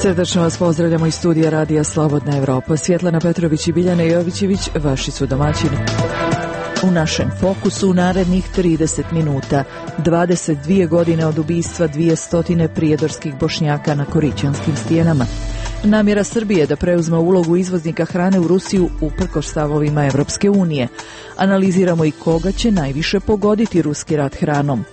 Srdačno vas pozdravljamo iz studija Radija Slobodna Evropa. Svjetlana Petrović i Biljana Jovićević, vaši su domaćini. U našem fokusu u narednih 30 minuta, 22 godine od ubistva 200 prijedorskih Bošnjaka na Korićanskim stijenama. Namjera Srbije da preuzme ulogu izvoznika hrane u Rusiju uprkos stavovima Evropske unije. Analiziramo i koga će najviše pogoditi ruski rat hranom.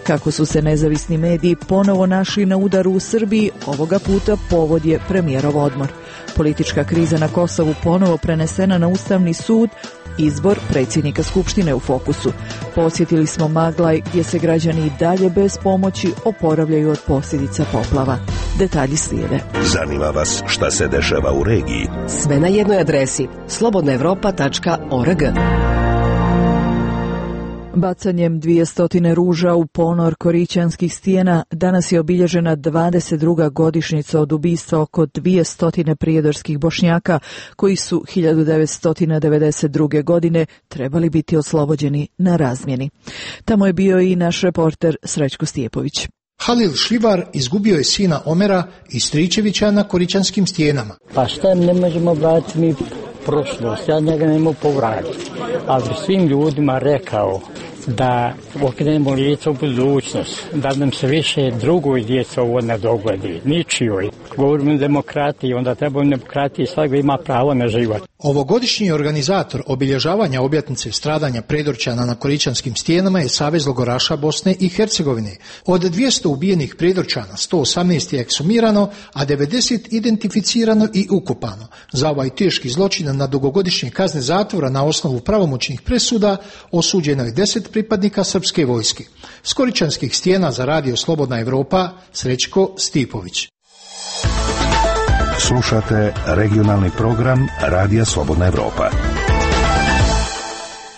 Kako su se nezavisni mediji ponovo našli na udaru u Srbiji, ovoga puta povod je premijerov odmor. Politička kriza na Kosovu ponovo prenesena na Ustavni sud, izbor predsjednika Skupštine u fokusu. Posjetili smo Maglaj gdje se građani i dalje bez pomoći oporavljaju od posljedica poplava. Detalji slijede. Zanima vas šta se dešava u regiji? Sve na jednoj adresi slobodnaevropa.org. Bacanjem 200 ruža u ponor Korićanskih stijena danas je obilježena 22. godišnjica od ubistva oko 200 prijedorskih Bošnjaka koji su 1992. godine trebali biti oslobođeni na razmjeni. Tamo je bio i naš reporter Srećko Stijepović. Halil Šljivar izgubio je sina Omera i Stričevića na Korićanskim stijenama. Pa šta ne možemo vratiti mi prošlost, ja njega ne mogu povratiti, ali svim ljudima rekao da okrenemo lice u budućnost, da nam se više drugoj djeci ovo ne dogodi, ničijoj. Govorimo o demokratiji, onda treba u demokratiji svakog ima pravo na život. Ovogodišnji organizator obilježavanja obljetnice stradanja Prijedorčana na Korićanskim stijenama je Savez logoraša Bosne i Hercegovine. Od 200 ubijenih Prijedorčana 118 je eksumirano, a 90 identificirano i ukopano. Za ovaj teški zločin na dugogodišnje kazne zatvora na osnovu pravomoćnih presuda osuđeno je 10 pripadnika srpske vojske. S Korićanskih stijena za Radio Slobodna Evropa, Srećko Stipović. Slušate regionalni program Radija Slobodna Evropa.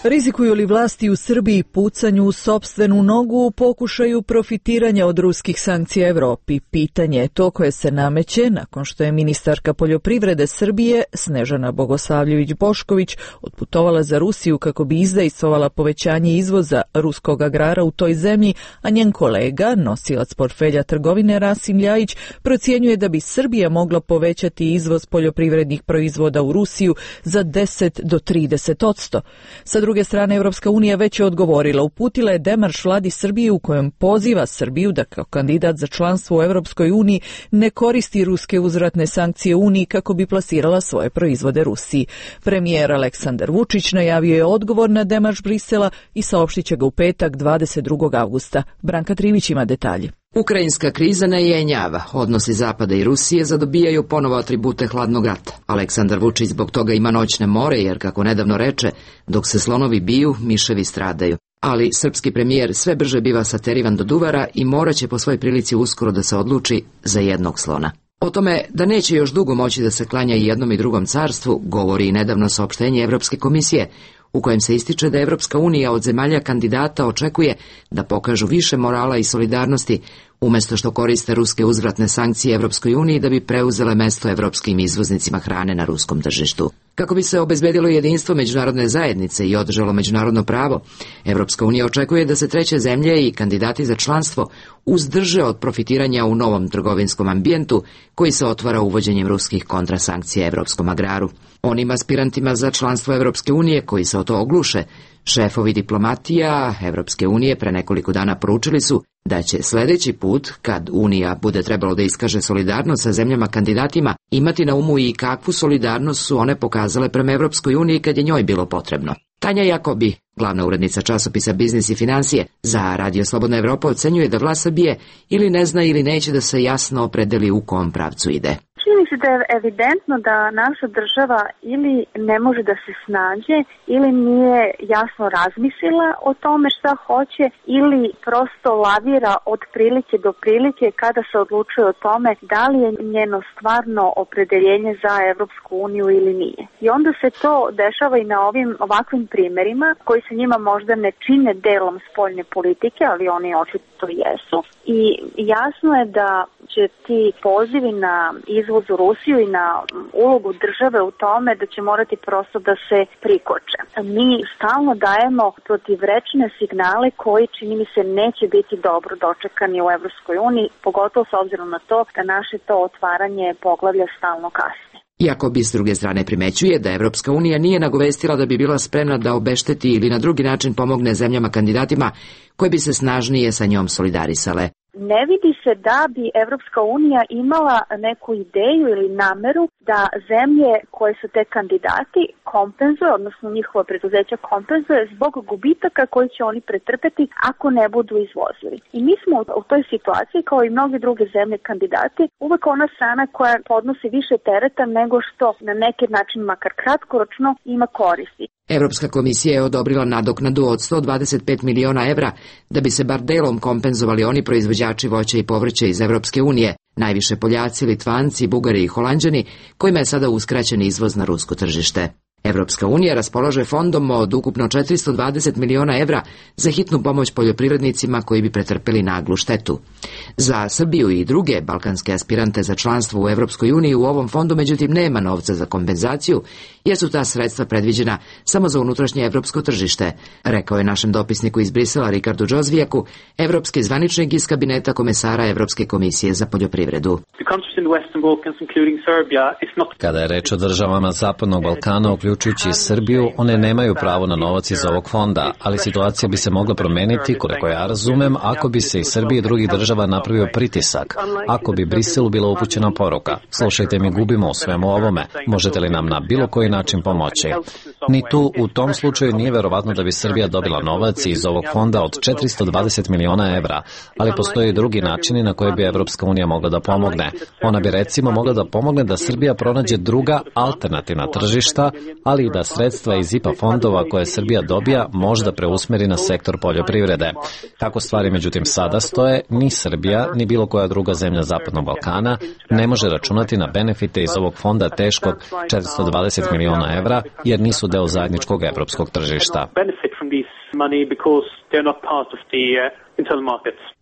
Rizikuju li vlasti u Srbiji pucanju u sopstvenu nogu u pokušaju profitiranja od ruskih sankcija Evropi? Pitanje je to koje se nameće nakon što je ministarka poljoprivrede Srbije Snežana Bogosavljević-Bošković otputovala za Rusiju kako bi izdejstvovala povećanje izvoza ruskog agrara u toj zemlji, a njen kolega, nosilac portfelja trgovine Rasim Ljajić, procjenjuje da bi Srbija mogla povećati izvoz poljoprivrednih proizvoda u Rusiju za 10 do 30%. Sa druge strane, Evropska unija već je odgovorila, uputila je demarš vladi Srbije u kojem poziva Srbiju da kao kandidat za članstvo u Evropskoj uniji ne koristi ruske uzvratne sankcije Uniji kako bi plasirala svoje proizvode Rusiji. Premijer Aleksandar Vučić najavio je odgovor na demarš Brisela i saopštit će ga u petak 22. avgusta. Branka Trivić ima detalje. Ukrajinska kriza ne jenjava. Odnosi Zapada i Rusije zadobijaju ponovo atribute hladnog rata. Aleksandar Vučić zbog toga ima noćne more, jer kako nedavno reče, dok se slonovi biju, miševi stradaju. Ali srpski premijer sve brže biva saterivan do duvara i moraće po svojoj prilici uskoro da se odluči za jednog slona. O tome da neće još dugo moći da se klanja i jednom i drugom carstvu govori i nedavno saopštenje Evropske komisije, u kojem se ističe da Evropska unija od zemalja kandidata očekuje da pokažu više morala i solidarnosti, umjesto što koriste ruske uzvratne sankcije Evropskoj uniji da bi preuzele mesto evropskim izvoznicima hrane na ruskom tržištu. Kako bi se obezbedilo jedinstvo međunarodne zajednice i održalo međunarodno pravo, Evropska unija očekuje da se treće zemlje i kandidati za članstvo uzdrže od profitiranja u novom trgovinskom ambijentu koji se otvara uvođenjem ruskih kontrasankcija evropskom agraru. Onim aspirantima za članstvo Evropske unije koji se o to ogluše, šefovi diplomatija Evropske unije pre nekoliko dana poručili su da će sljedeći put, kad Unija bude trebalo da iskaže solidarnost sa zemljama kandidatima, imati na umu i kakvu solidarnost su one pokazale prema Evropskoj uniji kad je njoj bilo potrebno. Tanja Jakobi, glavna urednica časopisa Biznis i financije za Radio Slobodna Evropa, ocenjuje da vlast Srbije ili ne zna ili neće da se jasno opredeli u kom pravcu ide. Čini se da je evidentno da naša država ili ne može da se snađe ili nije jasno razmislila o tome šta hoće ili prosto lavira od prilike do prilike kada se odlučuje o tome da li je njeno stvarno opredeljenje za Evropsku uniju ili nije. I onda se to dešava i na ovakvim primerima koji se njima možda ne čine delom spoljne politike, ali oni očito što jesu. I jasno je da će ti pozivi na izvoz u Rusiju i na ulogu države u tome da će morati prosto da se prikoče. Mi stalno dajemo protivrečne signale koji, čini mi se, neće biti dobro dočekani u Evropskoj uniji, pogotovo s obzirom na to da naše to otvaranje poglavlja stalno kasni. Iako bi s druge strane primećuje da Evropska unija nije nagovestila da bi bila spremna da obešteti ili na drugi način pomogne zemljama kandidatima koje bi se snažnije sa njom solidarisale. Ne vidi se da bi Evropska unija imala neku ideju ili nameru da zemlje koje su te kandidati kompenzuje, odnosno njihova preduzeća kompenzuje zbog gubitaka koji će oni pretrpeti ako ne budu izvozili. I mi smo u toj situaciji, kao i mnoge druge zemlje kandidati, uvek ona strana koja podnosi više tereta nego što na neki način, makar kratkoročno, ima koristi. Evropska komisija je odobrila nadoknadu od 125 miliona evra da bi se bar delom kompenzovali oni proizvođači voća i povrća iz Evropske unije, najviše Poljaci, Litvanci, Bugari i Holanđani, kojima je sada uskraćen izvoz na rusko tržište. Evropska unija raspolaže fondom od ukupno 420 miliona evra za hitnu pomoć poljoprivrednicima koji bi pretrpeli naglu štetu. Za Srbiju i druge balkanske aspirante za članstvo u Evropskoj uniji u ovom fondu međutim nema novca za kompenzaciju, jer su ta sredstva predviđena samo za unutrašnje evropsko tržište, rekao je našem dopisniku iz Brisela Rikardu Džozvijaku, evropski zvaničnik iz kabineta komesara Evropske komisije za poljoprivredu. Kada je reč o državama Zapadnog Balkana, uključujući Srbiju, one nemaju pravo na novac iz ovog fonda, ali situacija bi se mogla promeniti, koliko ja razumem, ako bi se iz Srbije i drugih država napravio pritisak, ako bi Briselu bila upućena poruka. Slušajte, mi gubimo u svemu ovome, možete li nam na bilo koji način pomoći? Ni tu u tom slučaju nije verovatno da bi Srbija dobila novac iz ovog fonda od 420 miliona evra, ali postoje i drugi načini na koje bi Evropska unija mogla da pomogne. Ona bi recimo mogla da pomogne da Srbija pronađe druga alternativna tržišta, ali i da sredstva iz IPA fondova koje Srbija dobija možda preusmeri na sektor poljoprivrede. Kako stvari međutim sada stoje, ni Srbija, ni bilo koja druga zemlja Zapadnog Balkana ne može računati na benefite iz ovog fonda teškog 420 miliona evra, jer nisu deo zajedničkog evropskog tržišta.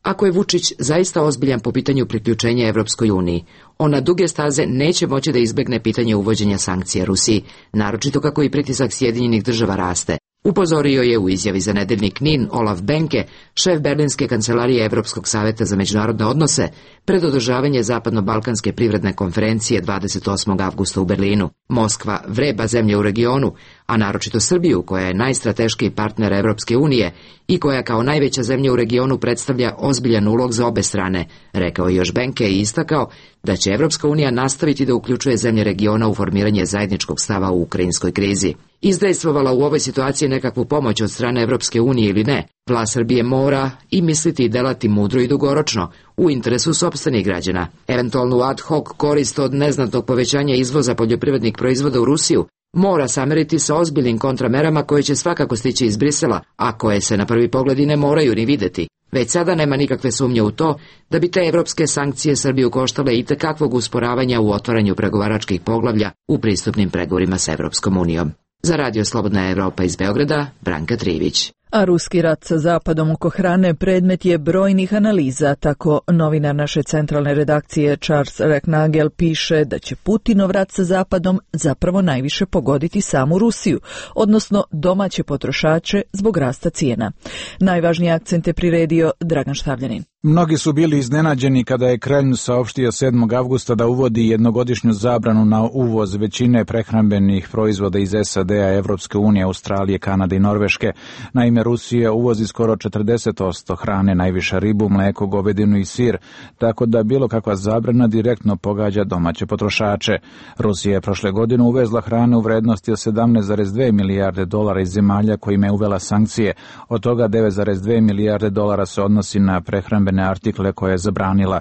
Ako je Vučić zaista ozbiljan po pitanju priključenja Evropskoj uniji, on na duge staze neće moći da izbegne pitanje uvođenja sankcija Rusiji, naročito kako i pritisak Sjedinjenih država raste. Upozorio je u izjavi za nedeljnik NIN Olaf Benke, šef Berlinske kancelarije Evropskog saveta za međunarodne odnose, pred održavanje Zapadno-balkanske privredne konferencije 28. avgusta u Berlinu. Moskva vreba zemlje u regionu, a naročito Srbiju, koja je najstrateškiji partner Evropske unije i koja kao najveća zemlja u regionu predstavlja ozbiljan ulog za obe strane, rekao je još Benke i istakao da će Evropska unija nastaviti da uključuje zemlje regiona u formiranje zajedničkog stava u ukrajinskoj krizi. Izdejstvovala u ovoj situaciji nekakvu pomoć od strane Evropske unije ili ne, vlast Srbije mora i misliti i delati mudro i dugoročno, u interesu sopstvenih građana. Eventualnu ad hoc korist od neznatnog povećanja izvoza poljoprivrednih proizvoda u Rusiju mora sameriti sa ozbiljnim kontramerama koje će svakako stići iz Brisela, a koje se na prvi pogled i ne moraju ni videti. Već sada nema nikakve sumnje u to da bi te evropske sankcije Srbiju koštale itekakvog usporavanja u otvaranju pregovaračkih poglavlja u pristupnim pregovorima s Evropskom unijom. Za Radio Slobodna Evropa iz Beograda, Branka Trivić. A ruski rat sa Zapadom oko hrane predmet je brojnih analiza, tako novinar naše centralne redakcije Charles Recknagel piše da će Putinov rat sa Zapadom zapravo najviše pogoditi samu Rusiju, odnosno domaće potrošače zbog rasta cijena. Najvažnije akcente priredio Dragan Štavljanin. Mnogi su bili iznenađeni kada je Kremlj saopštio 7. avgusta da uvodi jednogodišnju zabranu na uvoz većine prehrambenih proizvoda iz SAD-a, Evropske unije, Australije, Kanade i Norveške. Naime, Rusija uvozi skoro 40% hrane, najviše ribu, mleko, govedinu i sir, tako da bilo kakva zabrana direktno pogađa domaće potrošače. Rusija je prošle godine uvezla hrane u vrednosti od 17,2 milijarde dolara iz zemalja kojima je uvela sankcije. Od toga 9,2 milijarde dolara se odnosi na prehrambene navedene artikle koje je zabranila.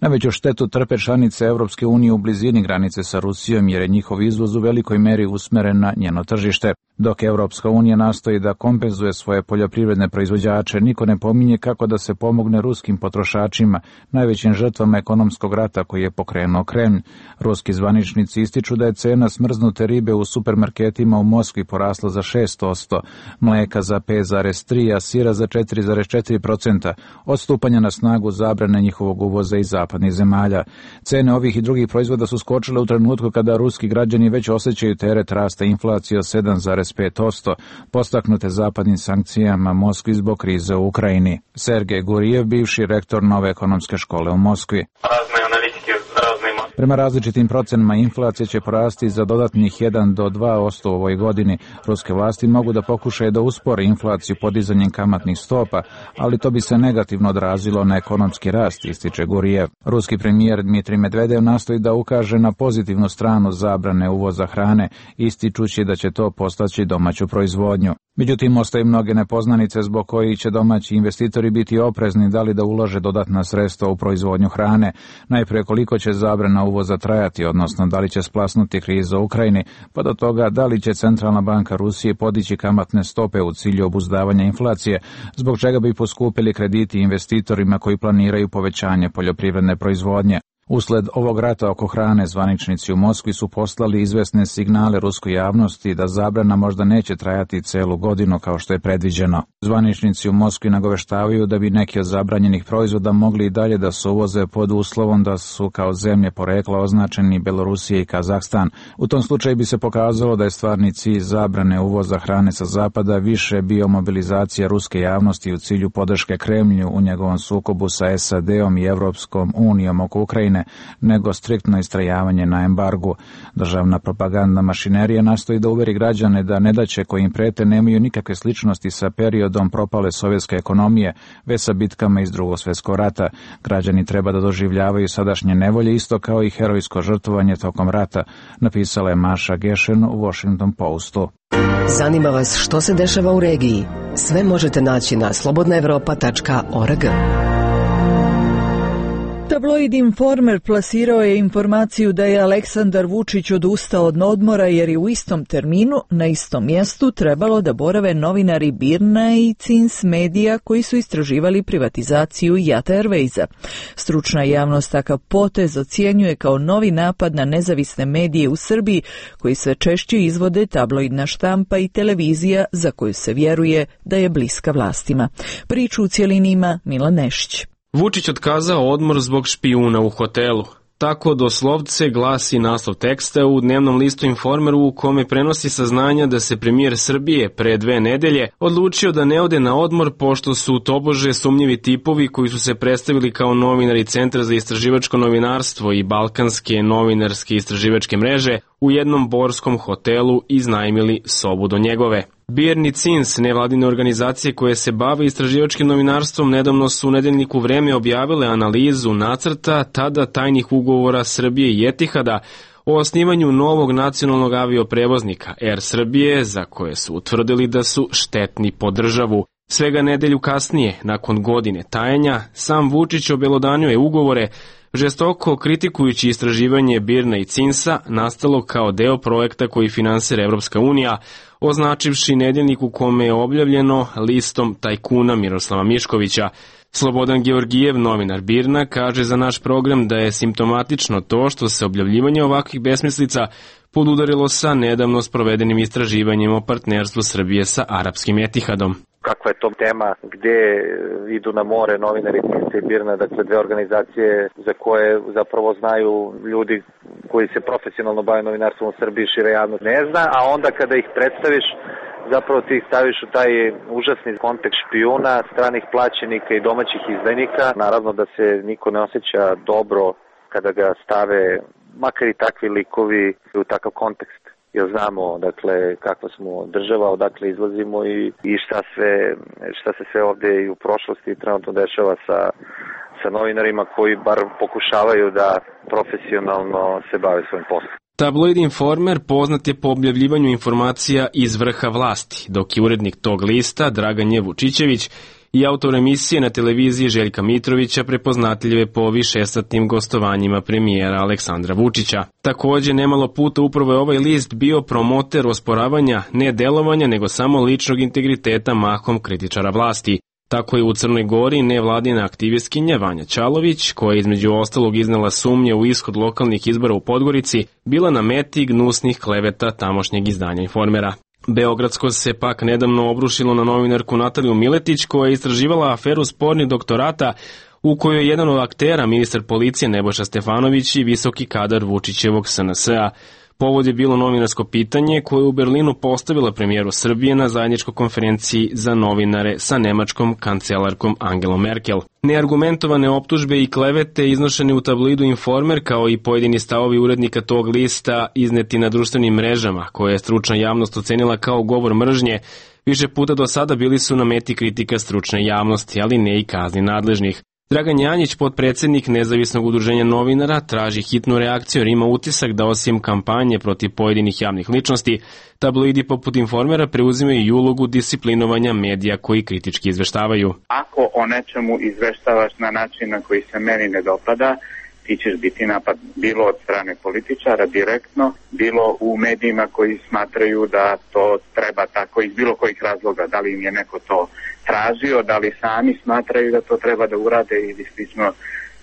Najveću štetu trpe članice Evropske unije u blizini granice sa Rusijom jer je njihov izvoz u velikoj meri usmeren na njeno tržište. Dok Evropska unija nastoji da kompenzuje svoje poljoprivredne proizvođače, niko ne pominje kako da se pomogne ruskim potrošačima, najvećim žrtvama ekonomskog rata koji je pokrenuo Kremlj. Ruski zvaničnici ističu da je cena smrznute ribe u supermarketima u Moskvi porasla za 6%, mleka za 5,3%, a sira za 4,4% od stupanja na snagu zabrane njihovog uvoza iz zapadnih zemalja. Cene ovih i drugih proizvoda su skočile u trenutku kada ruski građani već osjećaju teret rasta inflacije od 7,5%, postaknute zapadnim sankcijama Moskvi zbog krize u Ukrajini. Sergej Gurijev, bivši rektor Nove ekonomske škole u Moskvi. Prema različitim procenama inflacija će porasti za dodatnih 1 do 2% u ovoj godini. Ruske vlasti mogu da pokušaju da uspore inflaciju podizanjem kamatnih stopa, ali to bi se negativno odrazilo na ekonomski rast, ističe Gurijev. Ruski premijer Dmitrij Medvedev nastoji da ukaže na pozitivnu stranu zabrane uvoza hrane, ističući da će to postaći domaću proizvodnju. Međutim, ostaju mnoge nepoznanice zbog kojih će domaći investitori biti oprezni da li da ulože dodatna sredstva u proizvodnju hrane. Najprije koliko će zabrana uvoza trajati, odnosno da li će splasnuti kriza u Ukrajini, pa do toga da li će Centralna banka Rusije podići kamatne stope u cilju obuzdavanja inflacije, zbog čega bi poskupili krediti investitorima koji planiraju povećanje poljoprivredne proizvodnje. Usled ovog rata oko hrane, zvaničnici u Moskvi su poslali izvesne signale ruskoj javnosti da zabrana možda neće trajati celu godinu kao što je predviđeno. Zvaničnici u Moskvi nagoveštavaju da bi neki od zabranjenih proizvoda mogli i dalje da se uvoze pod uslovom da su kao zemlje porekla označeni Belorusija i Kazahstan. U tom slučaju bi se pokazalo da je stvarni cilj zabrane uvoza hrane sa zapada više bio mobilizacija ruske javnosti u cilju podrške Kremlju u njegovom sukobu sa SAD-om i Evropskom unijom oko Ukrajine, nego striktno istrajavanje na embargu. Državna propagandna mašinerija nastoji da uveri građane da nedaće koje im prete nemaju nikakve sličnosti sa periodom propale sovjetske ekonomije, već sa bitkama iz Drugog svjetskog rata. Građani treba da doživljavaju sadašnje nevolje isto kao i herojsko žrtvovanje tokom rata, napisala je Maša Gešen u Washington Postu. Zanima vas što se dešava u regiji? Sve možete naći na slobodnaevropa.org. Tabloid Informer plasirao je informaciju da je Aleksandar Vučić odustao od odmora jer je u istom terminu, na istom mjestu, trebalo da borave novinari Birna i Cins Medija koji su istraživali privatizaciju Jata Airwaysa. Stručna javnost takav potez ocjenjuje kao novi napad na nezavisne medije u Srbiji koji sve češće izvode tabloidna štampa i televizija za koju se vjeruje da je bliska vlastima. Priču u cjelini ima Milan Nešić. Vučić otkazao odmor zbog špijuna u hotelu. Tako doslovce glasi naslov teksta u dnevnom listu Informeru u kome prenosi saznanja da se premijer Srbije pre 2 nedelje odlučio da ne ode na odmor pošto su tobože sumnjivi tipovi koji su se predstavili kao novinari Centra za istraživačko novinarstvo i Balkanske novinarske istraživačke mreže u jednom borskom hotelu iznajmili sobu do njegove. Birn i Cins, nevladine organizacije koje se bave istraživačkim novinarstvom, nedavno su u nedeljniku Vreme objavile analizu nacrta tada tajnih ugovora Srbije i Etihada o osnivanju novog nacionalnog avioprevoznika Air Srbije, za koje su utvrdili da su štetni po državu. Svega nedelju kasnije, nakon godine tajenja, sam Vučić obelodanio je ugovore, žestoko kritikujući istraživanje Birna i Cinsa, nastalo kao deo projekta koji finansira Evropska unija, označivši nedeljnik u kome je objavljeno listom tajkuna Miroslava Miškovića. Slobodan Georgijev, novinar Birna, kaže za naš program da je simptomatično to što se objavljivanje ovakvih besmislica podudarilo sa nedavno sprovedenim istraživanjem o partnerstvu Srbije sa arapskim Etihadom. Kakva je to tema gdje idu na more novinari Cinsa i Birna, dakle 2 organizacije za koje zapravo znaju ljudi koji se profesionalno bave novinarstvom u Srbiji, šira javnost ne zna, a onda kada ih predstaviš, zapravo ti ih staviš u taj užasni kontekst špijuna, stranih plaćenika i domaćih izdajnika. Naravno da se niko ne osjeća dobro kada ga stave, makar i takvi likovi, u takav kontekst. Jer znamo, dakle, kakva smo država, odakle izlazimo i šta se sve ovdje i u prošlosti trenutno dešava sa novinarima koji bar pokušavaju da profesionalno se bave svojim poslom. Tabloid Informer poznat je po objavljivanju informacija iz vrha vlasti, dok je urednik tog lista, Dragan Vučićević, i autor emisije na televiziji Željka Mitrovića, prepoznatljive po višesatnim gostovanjima premijera Aleksandra Vučića. Takođe, nemalo puta upravo je ovaj list bio promoter osporavanja ne delovanja, nego samo ličnog integriteta mahom kritičara vlasti. Tako je u Crnoj Gori nevladina aktivistkinja Vanja Ćalović, koja je između ostalog iznela sumnje u ishod lokalnih izbora u Podgorici, bila na meti gnusnih kleveta tamošnjeg izdanja Informera. Beogradsko se pak nedavno obrušilo na novinarku Nataliju Miletić, koja je istraživala aferu spornih doktorata u kojoj je jedan od aktera ministar policije Nebojša Stefanović i visoki kadar Vučićevog SNS-a. Povod je bilo novinarsko pitanje koje je u Berlinu postavila premijeru Srbije na zajedničkoj konferenciji za novinare sa nemačkom kancelarkom Angelom Merkel. Neargumentovane optužbe i klevete iznošene u tabloidu Informer, kao i pojedini stavovi urednika tog lista izneti na društvenim mrežama, koje je stručna javnost ocenila kao govor mržnje, više puta do sada bili su na meti kritika stručne javnosti, ali ne i kazni nadležnih. Dragan Janjić, potpredsednik Nezavisnog udruženja novinara, traži hitnu reakciju jer ima utisak da osim kampanje protiv pojedinih javnih ličnosti, tabloidi poput Informera preuzimaju i ulogu disciplinovanja medija koji kritički izveštavaju. Ako o nečemu izveštavaš na način na koji se meni ne dopada, ti ćeš biti napad bilo od strane političara direktno, bilo u medijima koji smatraju da to treba tako iz bilo kojih razloga, da li im je neko to tražio, da li sami smatraju da to treba da urade ili slično,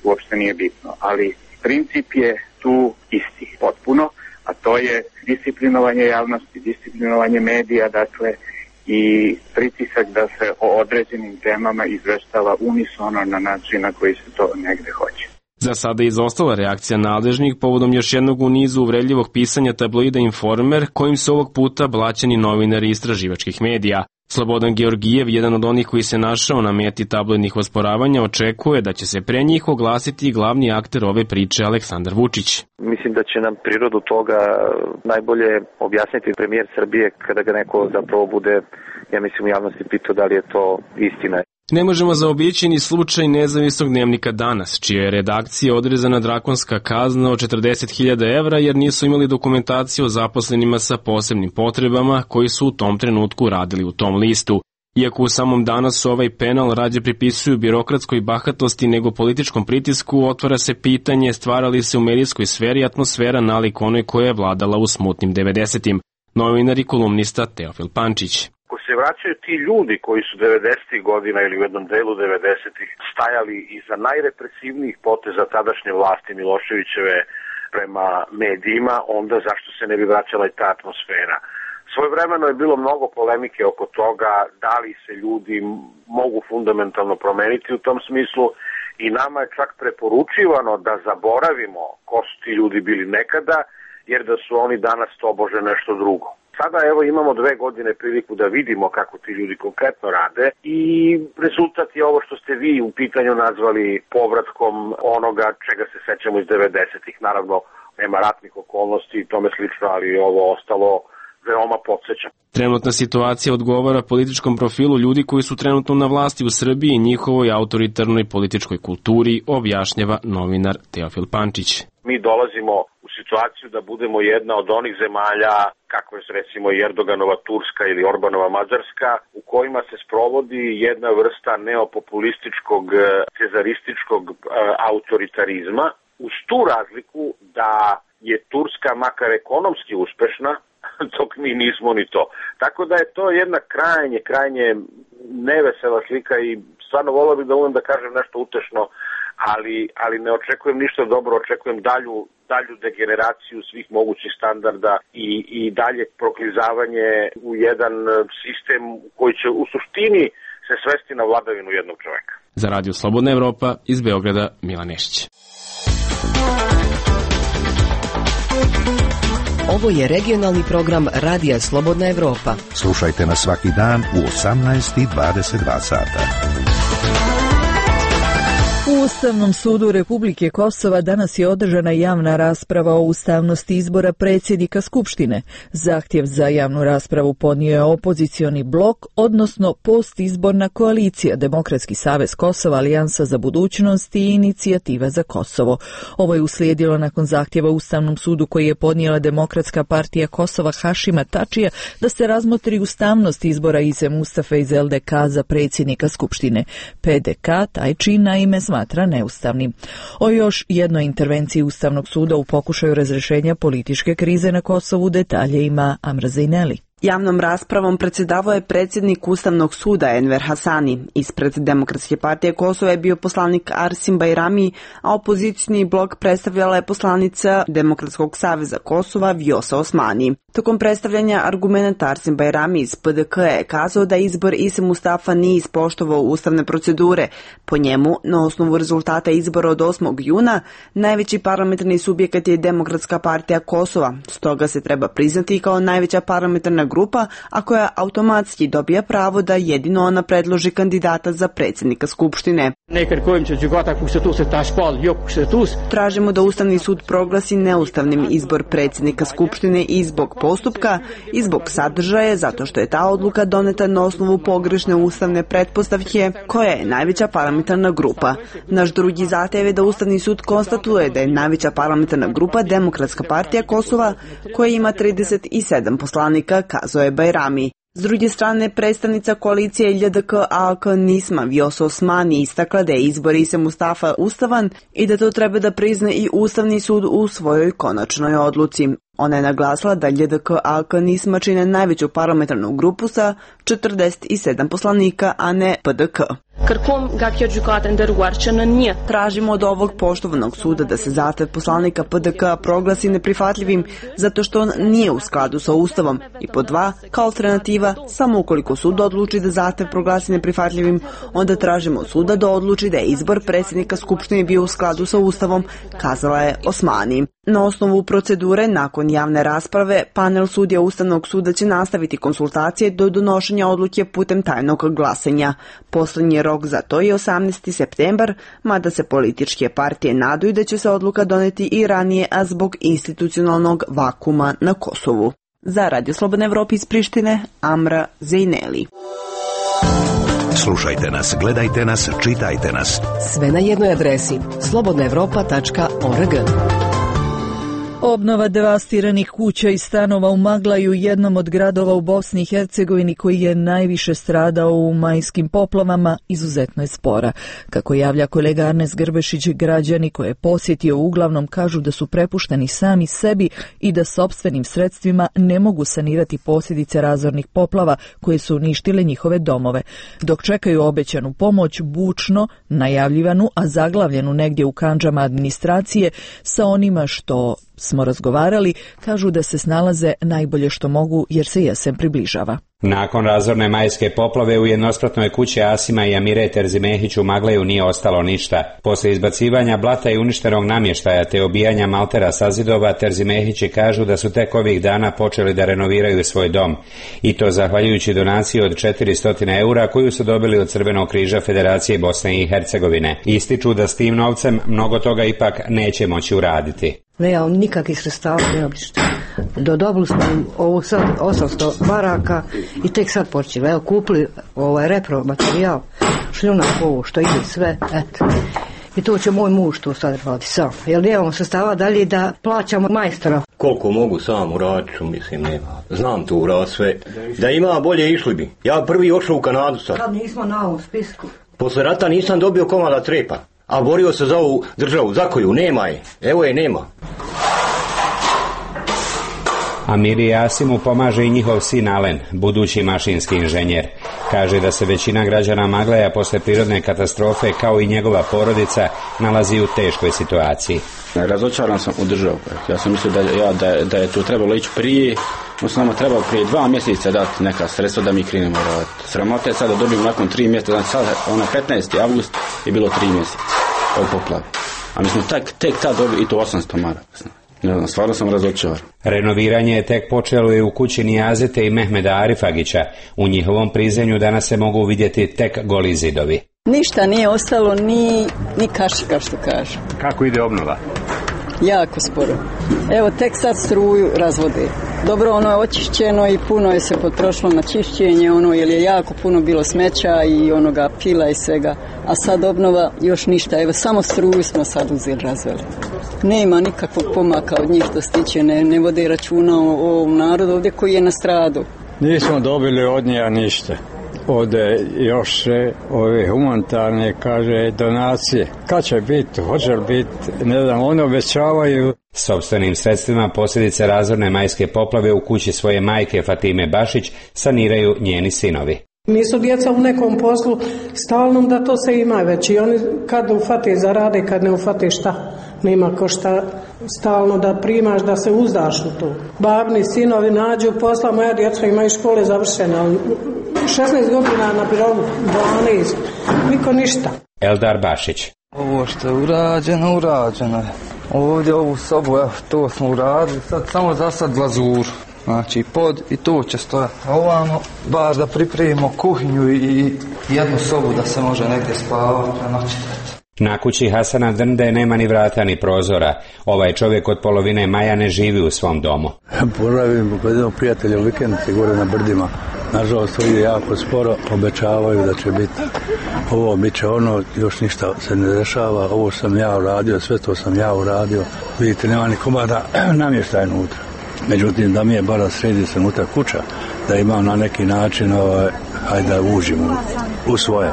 uopšte nije bitno. Ali princip je tu isti, potpuno, a to je disciplinovanje javnosti, disciplinovanje medija, dakle, i pritisak da se o određenim temama izveštava unisono na način na koji se to negde hoće. Za sada je izostala reakcija nadležnih povodom još jednog u nizu uvredljivog pisanja tabloida Informer, kojim su ovog puta blaćeni novinari istraživačkih medija. Slobodan Georgijev, jedan od onih koji se našao na meti tabloidnih osporavanja, očekuje da će se pre njih oglasiti glavni akter ove priče Aleksandar Vučić. Mislim da će nam prirodu toga najbolje objasniti premijer Srbije kada ga neko zapravo bude, ja mislim, u javnosti pitao da li je to istina. Ne možemo zaobići ni slučaj Nezavisnog dnevnika Danas, čija je redakcija odrezana drakonska kazna od 40.000 evra jer nisu imali dokumentaciju o zaposlenima sa posebnim potrebama koji su u tom trenutku radili u tom listu. Iako u samom Danasu ovaj penal rađe pripisuju birokratskoj bahatosti nego političkom pritisku, otvara se pitanje stvara li se u medijskoj sferi atmosfera nalik onoj koja je vladala u smutnim 90-im. Novinar i kolumnista Teofil Pančić. Ako se vraćaju ti ljudi koji su 90. godina ili u jednom delu 90. stajali iza najrepresivnijih poteza tadašnje vlasti Miloševićeve prema medijima, onda zašto se ne bi vraćala i ta atmosfera? Svojevremeno je bilo mnogo polemike oko toga da li se ljudi mogu fundamentalno promeniti u tom smislu i nama je čak preporučivano da zaboravimo ko su ti ljudi bili nekada, jer da su oni danas tobože nešto drugo. Sada evo imamo 2 godine priliku da vidimo kako ti ljudi konkretno rade i rezultat je ovo što ste vi u pitanju nazvali povratkom onoga čega se sećamo iz 90-ih. Naravno, nema ratnih okolnosti i tome slično, ali ovo ostalo veoma podsjeća. Trenutna situacija odgovara političkom profilu ljudi koji su trenutno na vlasti u Srbiji i njihovoj autoritarnoj političkoj kulturi, objašnjava novinar Teofil Pančić. Mi dolazimo u situaciju da budemo jedna od onih zemalja, kako je recimo Erdoganova Turska ili Orbanova Mađarska, u kojima se sprovodi jedna vrsta neopopulističkog, cezarističkog autoritarizma, uz tu razliku da je Turska makar ekonomski uspešna, dok mi nismo ni to. Tako da je to jedna krajnje nevesela slika i stvarno volio bih da umem da kažem nešto utešno, ali ne očekujem ništa dobro, očekujem dalju degeneraciju svih mogućih standarda i dalje proklizavanje u jedan sistem koji će u suštini se svesti na vladavinu jednog čoveka. Za Radio Slobodna Evropa iz Beograda, Milan Nešić. Ovo je regionalni program Radija Slobodna Evropa. Slušajte nas svaki dan u 18:22 sata. U Ustavnom sudu Republike Kosova danas je održana javna rasprava o ustavnosti izbora predsjednika Skupštine. Zahtjev za javnu raspravu podnio je opozicioni blok, odnosno postizborna koalicija Demokratski savez Kosova, Alijansa za budućnost i Inicijativa za Kosovo. Ovo je uslijedilo nakon zahtjeva Ustavnom sudu koji je podnijela Demokratska partija Kosova Hašima Tačija da se razmotri ustavnost izbora Ise Mustafe iz LDK za predsjednika Skupštine. PDK taj čin naime smatra neustavnim. O još jednoj intervenciji Ustavnog suda u pokušaju razrješenja političke krize na Kosovu detalje ima Amra Zejneli. Javnom raspravom predsjedavao je predsjednik Ustavnog suda Enver Hasani. Ispred Demokratske partije Kosova je bio poslanik Arsim Bajrami, a opozicijni blok predstavljala je poslanica Demokratskog saveza Kosova Vjosa Osmani. Tokom predstavljanja argumenta Arsim Bajrami iz PDK je kazao da izbor Ise Mustafa nije ispoštovao ustavne procedure. Po njemu, na osnovu rezultata izbora od 8. juna, najveći parlamentarni subjekat je Demokratska partija Kosova. Stoga se treba priznati kao najveća parlamentarna grupa, a koja automatski dobija pravo da jedino ona predloži kandidata za predsjednika Skupštine. Tražimo da Ustavni sud proglasi neustavnim izbor predsjednika Skupštine i zbog postupka i zbog sadržaja, zato što je ta odluka doneta na osnovu pogrešne ustavne pretpostavke, koja je najveća parlamentarna grupa. Naš drugi zahtjev je da Ustavni sud konstatuje da je najveća parlamentarna grupa Demokratska partija Kosova, koja ima 37 poslanika, kazao je Bajrami. S druge strane, predstavnica koalicije LDK-AK Nisma Vjosa Osmani istakla da je izbor Ise Mustafa ustavan i da to treba da prizna i Ustavni sud u svojoj konačnoj odluci. Ona je naglasila da LDK-AK Nisma čine najveću parlamentarnu grupu sa 47 poslanika, a ne PDK. Tražimo od ovog poštovanog suda da se zahtev poslanika PDK proglasi neprihvatljivim zato što on nije u skladu sa Ustavom i pod 2, kao alternativa, samo ukoliko sud odluči da zahtev proglasi neprihvatljivim, onda tražimo od suda da odluči da je izbor predsjednika Skupštine bio u skladu sa Ustavom, kazala je Osmani. Na osnovu procedure, nakon javne rasprave, panel sudija Ustavnog suda će nastaviti konsultacije do donošenja odluke putem tajnog glasanja. Poslednji rok za to je 18. septembar, mada se političke partije nadaju da će se odluka doneti i ranije, a zbog institucionalnog vakuma na Kosovu. Za Radio Slobodna Evropa iz Prištine, Amra Zejneli. Slušajte nas, gledajte nas, čitajte nas. Sve na jednoj adresi slobodnaevropa.org. Obnova devastiranih kuća i stanova u Maglaju, jednom od gradova u Bosni i Hercegovini koji je najviše stradao u majskim poplavama, izuzetno je spora. Kako javlja kolega Arnes Grbešić, građani koje je posjetio uglavnom kažu da su prepušteni sami sebi i da sopstvenim sredstvima ne mogu sanirati posljedice razornih poplava koje su uništile njihove domove. Dok čekaju obećanu pomoć, bučno, najavljivanu, a zaglavljenu negdje u kandžama administracije, sa onima što smo razgovarali, kažu da se snalaze najbolje što mogu jer se jesen približava. Nakon razorne majske poplave u jednospratnoj kući Asima i Amire Terzimehić u Magleju nije ostalo ništa. Poslije izbacivanja blata i uništenog namještaja te obijanja maltera sa zidova, Terzimehići kažu da su tek ovih dana počeli da renoviraju svoj dom. I to zahvaljujući donaciji od 400 eura koju su dobili od Crvenog križa Federacije Bosne i Hercegovine. Ističu da s tim novcem mnogo toga ipak neće moći uraditi. Nemam nikakvih sredstava, nemam ništa. Dobili smo ovo sad 800 baraka i tek sad počeli. Evo, kupili repromaterijal, šljunak ovo što ide sve, eto. I to će moj muž to sad radi sam. Jer nemamo sredstava dalje da plaćamo majstora. Koliko mogu sam uraditi, mislim, nema. Znam tu urad sve. Da ima bolje išli bi. Ja prvi ošao u Kanadu sad. Kad nismo na ovom spisku. Posle rata nisam dobio komada trepa. A borio se za ovu državu, za koju nema je. Evo je nema. Amiri Asimu pomaže i njihov sin Alen, budući mašinski inženjer. Kaže da se većina građana Magleja posle prirodne katastrofe, kao i njegova porodica, nalazi u teškoj situaciji. Razočaran sam u državu. Ja sam mislio da je to trebalo ići prije. Nama trebalo prije 2 mjeseca dati neka sredstva da mi krenemo raditi. Sramota je sad da dobijemo nakon 3 mjeseca, znači sad 15. avgust je bilo 3 mjeseca od poplave. A mi smo tek tad dobili i to 800 maraka. Ne znam, stvarno sam razočaran. Renoviranje je tek počelo i u kući Nijazete i Mehmeda Arifagića. U njihovom prizemlju danas se mogu vidjeti tek goli zidovi. Ništa nije ostalo, ni kašika što kaže. Kako ide obnova? Jako sporo. Evo tek sad struju razvode. Dobro, ono je očišćeno i puno je se potrošilo na čišćenje, jer je jako puno bilo smeća i onoga pila i svega. A sad obnova još ništa. Evo samo struju smo sad uzeli, razveli. Nema nikakvog pomaka od njih što se tiče, ne vode računa o ovom narodu ovdje koji je nastradao. Nismo dobili od njega ništa. Ode još ove humanitarne, kaže, donacije. Kad će biti, hoće li biti, ne znam, oni obećavaju. Sopstvenim sredstvima posljedice razorne majske poplave u kući svoje majke Fatime Bašić saniraju njeni sinovi. Nisu djeca u nekom poslu stalnom da to se ima već i oni kad ufate zarade, kad ne ufate šta. Nema ko šta stalno da primaš, da se uzdaš u to. Babni sinovi nađu posla, moja djeca imaju škole završene, ali 16 godina na birovu, 12, niko ništa. Eldar Bašić. Ovo što je urađeno je. Ovdje ovu sobu, evo, to smo uradili, sad samo za sad glazuru. Znači pod i to će stojati. A ovamo baš da pripremimo kuhinju i jednu sobu da se može negdje spavati prenoćiti. Na kući Hasana Drnde nema ni vrata ni prozora. Ovaj čovjek od polovine maja ne živi u svom domu. Poravim kod jednog prijatelja u vikendici gore na brdima. Nažalost, to ide jako sporo, obećavaju da će biti ovo, bit će ono, još ništa se ne dešava, ovo sam ja uradio, sve to sam ja uradio. Vidite, nema ni komada namještaja unutra. Međutim, da mi je bara sredi se unutra kuća, da imam na neki način, hajde da uđem u svoje.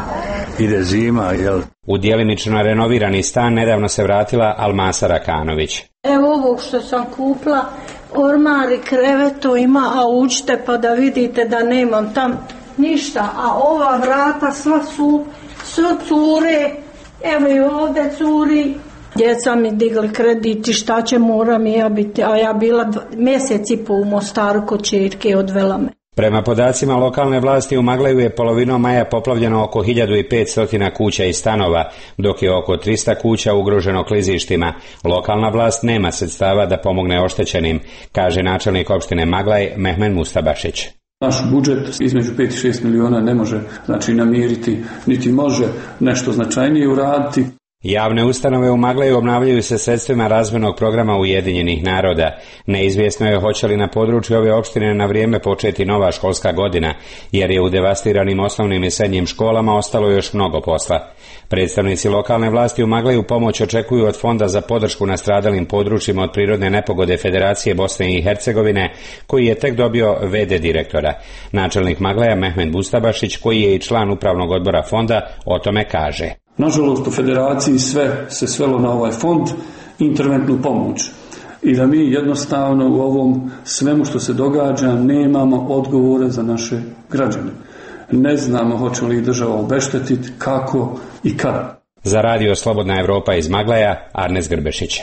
Ide zima, jel? U djelimično renovirani stan nedavno se vratila Almasa Rakanović. Evo ovog što sam kupila, ormar i kreveto ima, a uđite pa da vidite da nemam tam ništa, a ova vrata sva su cure, evo i ovdje curi. Djeca mi digli kredit i šta će, moram i ja biti, a ja bila mjesec i pol u Mostaru kod čerke, odvela me. Prema podacima lokalne vlasti u Maglaju je polovinom maja poplavljeno oko 1500 kuća i stanova, dok je oko 300 kuća ugroženo klizištima. Lokalna vlast nema sredstava da pomogne oštećenim, kaže načelnik opštine Maglaj Mehmed Mustabašić. Naš budžet između 5 i 6 miliona ne može namiriti, niti može nešto značajnije uraditi. Javne ustanove u Maglaju obnavljaju se sredstvima razvojnog programa Ujedinjenih naroda. Neizvjesno je hoće li na području ove opštine na vrijeme početi nova školska godina, jer je u devastiranim osnovnim i srednjim školama ostalo još mnogo posla. Predstavnici lokalne vlasti u Maglaju pomoć očekuju od Fonda za podršku nastradalim područjima od prirodne nepogode Federacije Bosne i Hercegovine, koji je tek dobio VD direktora. Načelnik Maglaja Mehmed Bustabašić, koji je i član upravnog odbora fonda, o tome kaže. Nažalost, u federaciji sve se svelo na ovaj fond, interventnu pomoć. I da mi jednostavno u ovom svemu što se događa nemamo odgovore za naše građane. Ne znamo hoće li država obeštetiti, kako i kada. Za radio Slobodna Evropa iz Maglaja, Arnes Grbešić.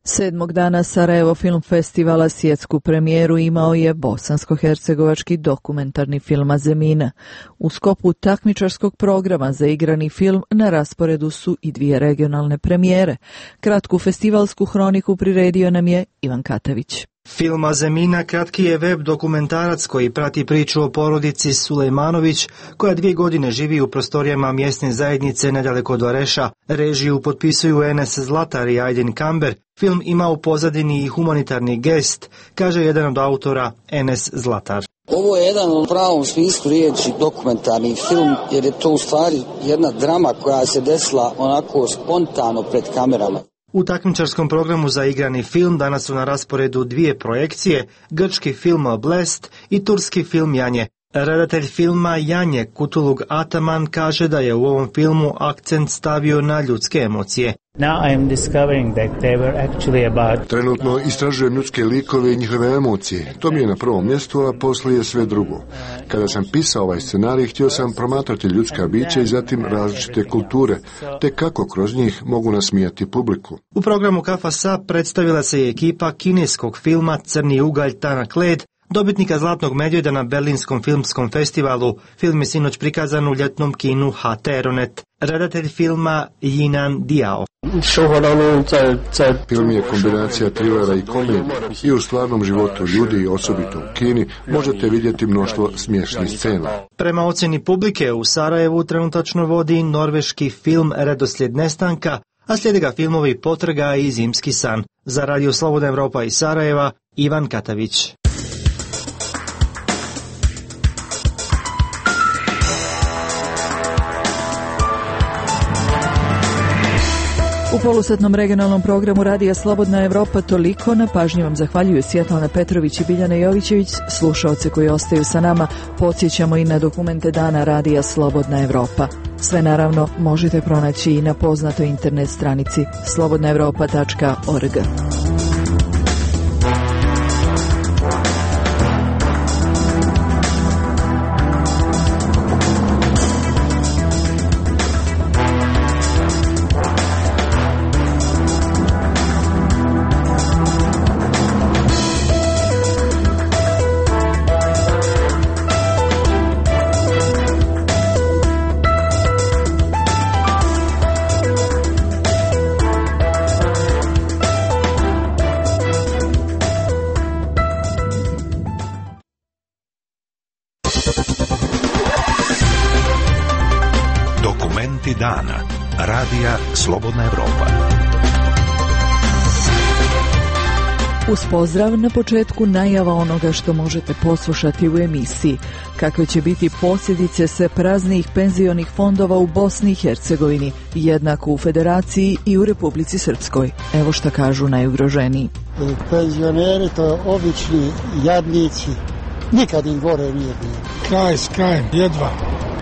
7. dana Sarajevo Film Festivala svjetsku premijeru imao je bosansko-hercegovački dokumentarni film Azemina. U sklopu takmičarskog programa za igrani film na rasporedu su i 2 regionalne premijere. Kratku festivalsku hroniku priredio nam je Ivan Katavić. Film Azemina kratki je web dokumentarac koji prati priču o porodici Sulejmanović, koja 2 godine živi u prostorijama mjesne zajednice nedaleko od Vareša. Režiju potpisuju Enes Zlatar i Aydin Kamber. Film ima u pozadini i humanitarni gest, kaže jedan od autora, Enes Zlatar. Ovo je jedan u pravom smislu riječi dokumentarni film, jer je to u stvari jedna drama koja se desila onako spontano pred kamerama. U takmičarskom programu za igrani film danas su na rasporedu 2 projekcije, grčki film Blest i turski film Janje. Redatelj filma Janje Kutulug Ataman kaže da je u ovom filmu akcent stavio na ljudske emocije. Trenutno istražujem ljudske likove i njihove emocije. To mi je na prvom mjestu, a poslije je sve drugo. Kada sam pisao ovaj scenarij, htio sam promatrati ljudska bića i zatim različite kulture, te kako kroz njih mogu nasmijati publiku. U programu Kafasa predstavila se i ekipa kineskog filma Crni ugalj Tanak led, dobitnika Zlatnog medvjeda na Berlinskom filmskom festivalu. Film je sinoć prikazan u ljetnom kinu HT Aeronet. Redatelj filma Jinan Diao. Film je kombinacija trilera i komedije i u stvarnom životu ljudi i osobito u Kini možete vidjeti mnoštvo smiješnih scena. Prema ocjeni publike u Sarajevu trenutačno vodi norveški film Redoslijed nestanka, a slijede ga filmovi Potraga i Zimski san. Za Radio Slobodna Evropa iz Sarajeva, Ivan Katavić. U polusatnom regionalnom programu Radija Slobodna Evropa toliko. Na pažnji vam zahvaljuju Svjetlana Petrović i Biljana Jovićević. Slušaoce koji ostaju sa nama podsjećamo i na dokumente dana Radija Slobodna Evropa. Sve naravno možete pronaći i na poznatoj internet stranici slobodnaevropa.org. Dana. Radija Slobodna Evropa. Uz pozdrav na početku najava onoga što možete poslušati u emisiji. Kakve će biti posljedice sve praznijih penzionih fondova u Bosni i Hercegovini, jednako u Federaciji i u Republici Srpskoj. Evo šta kažu najugroženiji. Penzioneri to obični jadnici. Nikad im gore nije bilo. Kraj s krajem, jedva.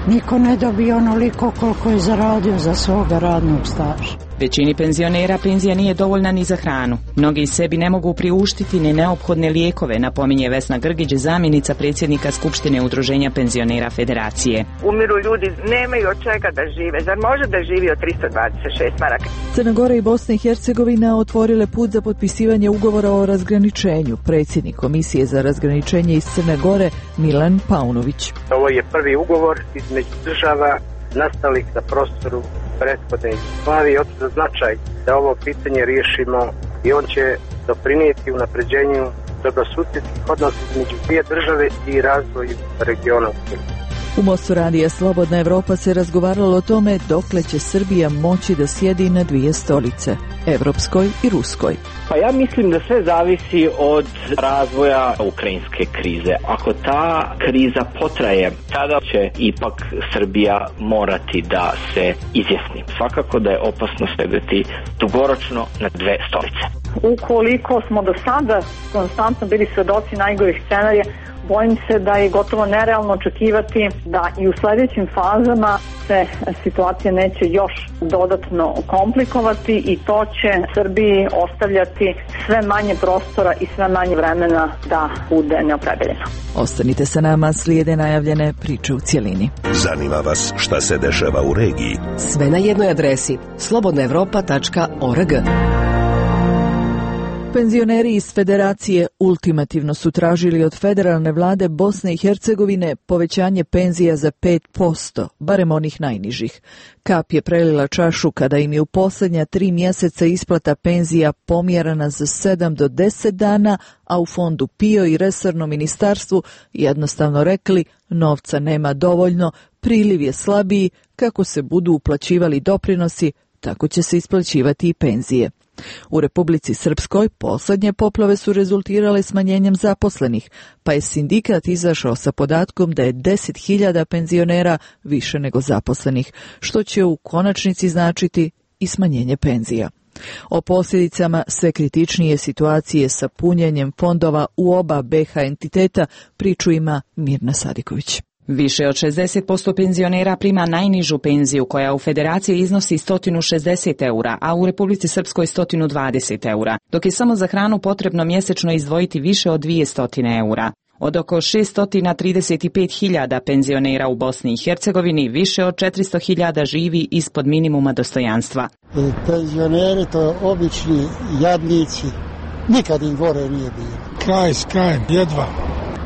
Niko ne dobije onoliko koliko je zaradio za svoga radnog staža. Većini penzionera penzija nije dovoljna ni za hranu. Mnogi sebi ne mogu priuštiti ni neophodne lijekove, napominje Vesna Grgić, zamjenica predsjednika Skupštine Udruženja penzionera Federacije. Umiru ljudi, nemaju od čega da žive. Zar može da živi od 326 maraka? Crna Gora i Bosna i Hercegovina otvorile put za potpisivanje ugovora o razgraničenju. Predsjednik Komisije za razgraničenje iz Crne Gore Milan Paunović. Ovo je prvi ugovor između država nastalih na prostoru prethodne Jugoslavije, od značaj da ovo pitanje riješimo i on će doprinijeti unapređenju dobrosusjedskih odnosa između dvije države i razvoju regiona. U Mostu Radija Slobodna Evropa se razgovaralo o tome dokle će Srbija moći da sjedi na dvije stolice, evropskoj i ruskoj. Pa ja mislim da sve zavisi od razvoja ukrajinske krize. Ako ta kriza potraje, tada će ipak Srbija morati da se izjasni. Svakako da je opasno sedeti dugoročno na dve stolice. Ukoliko smo do sada konstantno bili svedoci najgorih scenarija, bojim se da je gotovo nerealno očekivati da i u sljedećim fazama se situacija neće još dodatno komplikovati i to će Srbiji ostavljati sve manje prostora i sve manje vremena da bude neopredeljeno. Ostanite sa nama, slijede najavljene priče u cjelini. Zanima vas šta se dešava u regiji? Sve na jednoj adresi slobodnaevropa.org. Penzioneri iz Federacije ultimativno su tražili od federalne vlade Bosne i Hercegovine povećanje penzija za 5%, barem onih najnižih. Kap je prelila čašu kada im je u posljednja 3 mjeseca isplata penzija pomjerana za 7 do 10 dana, a u fondu PIO i resornom ministarstvu jednostavno rekli novca nema dovoljno, priliv je slabiji, kako se budu uplaćivali doprinosi, tako će se isplaćivati i penzije. U Republici Srpskoj posljednje poplave su rezultirale smanjenjem zaposlenih, pa je sindikat izašao sa podatkom da je 10.000 penzionera više nego zaposlenih, što će u konačnici značiti i smanjenje penzija. O posljedicama sve kritičnije situacije sa punjenjem fondova u oba BiH entiteta priču ima Mirna Sadiković. Više od 60% penzionera prima najnižu penziju koja u Federaciji iznosi 160 eura, a u Republici Srpskoj 120 eura, dok je samo za hranu potrebno mjesečno izdvojiti više od 200 eura. Od oko 635.000 penzionera u Bosni i Hercegovini, više od 400.000 živi ispod minimuma dostojanstva. Penzioneri to obični jadnici, nikad im gore nije bilo. Kraj s krajem, jedva.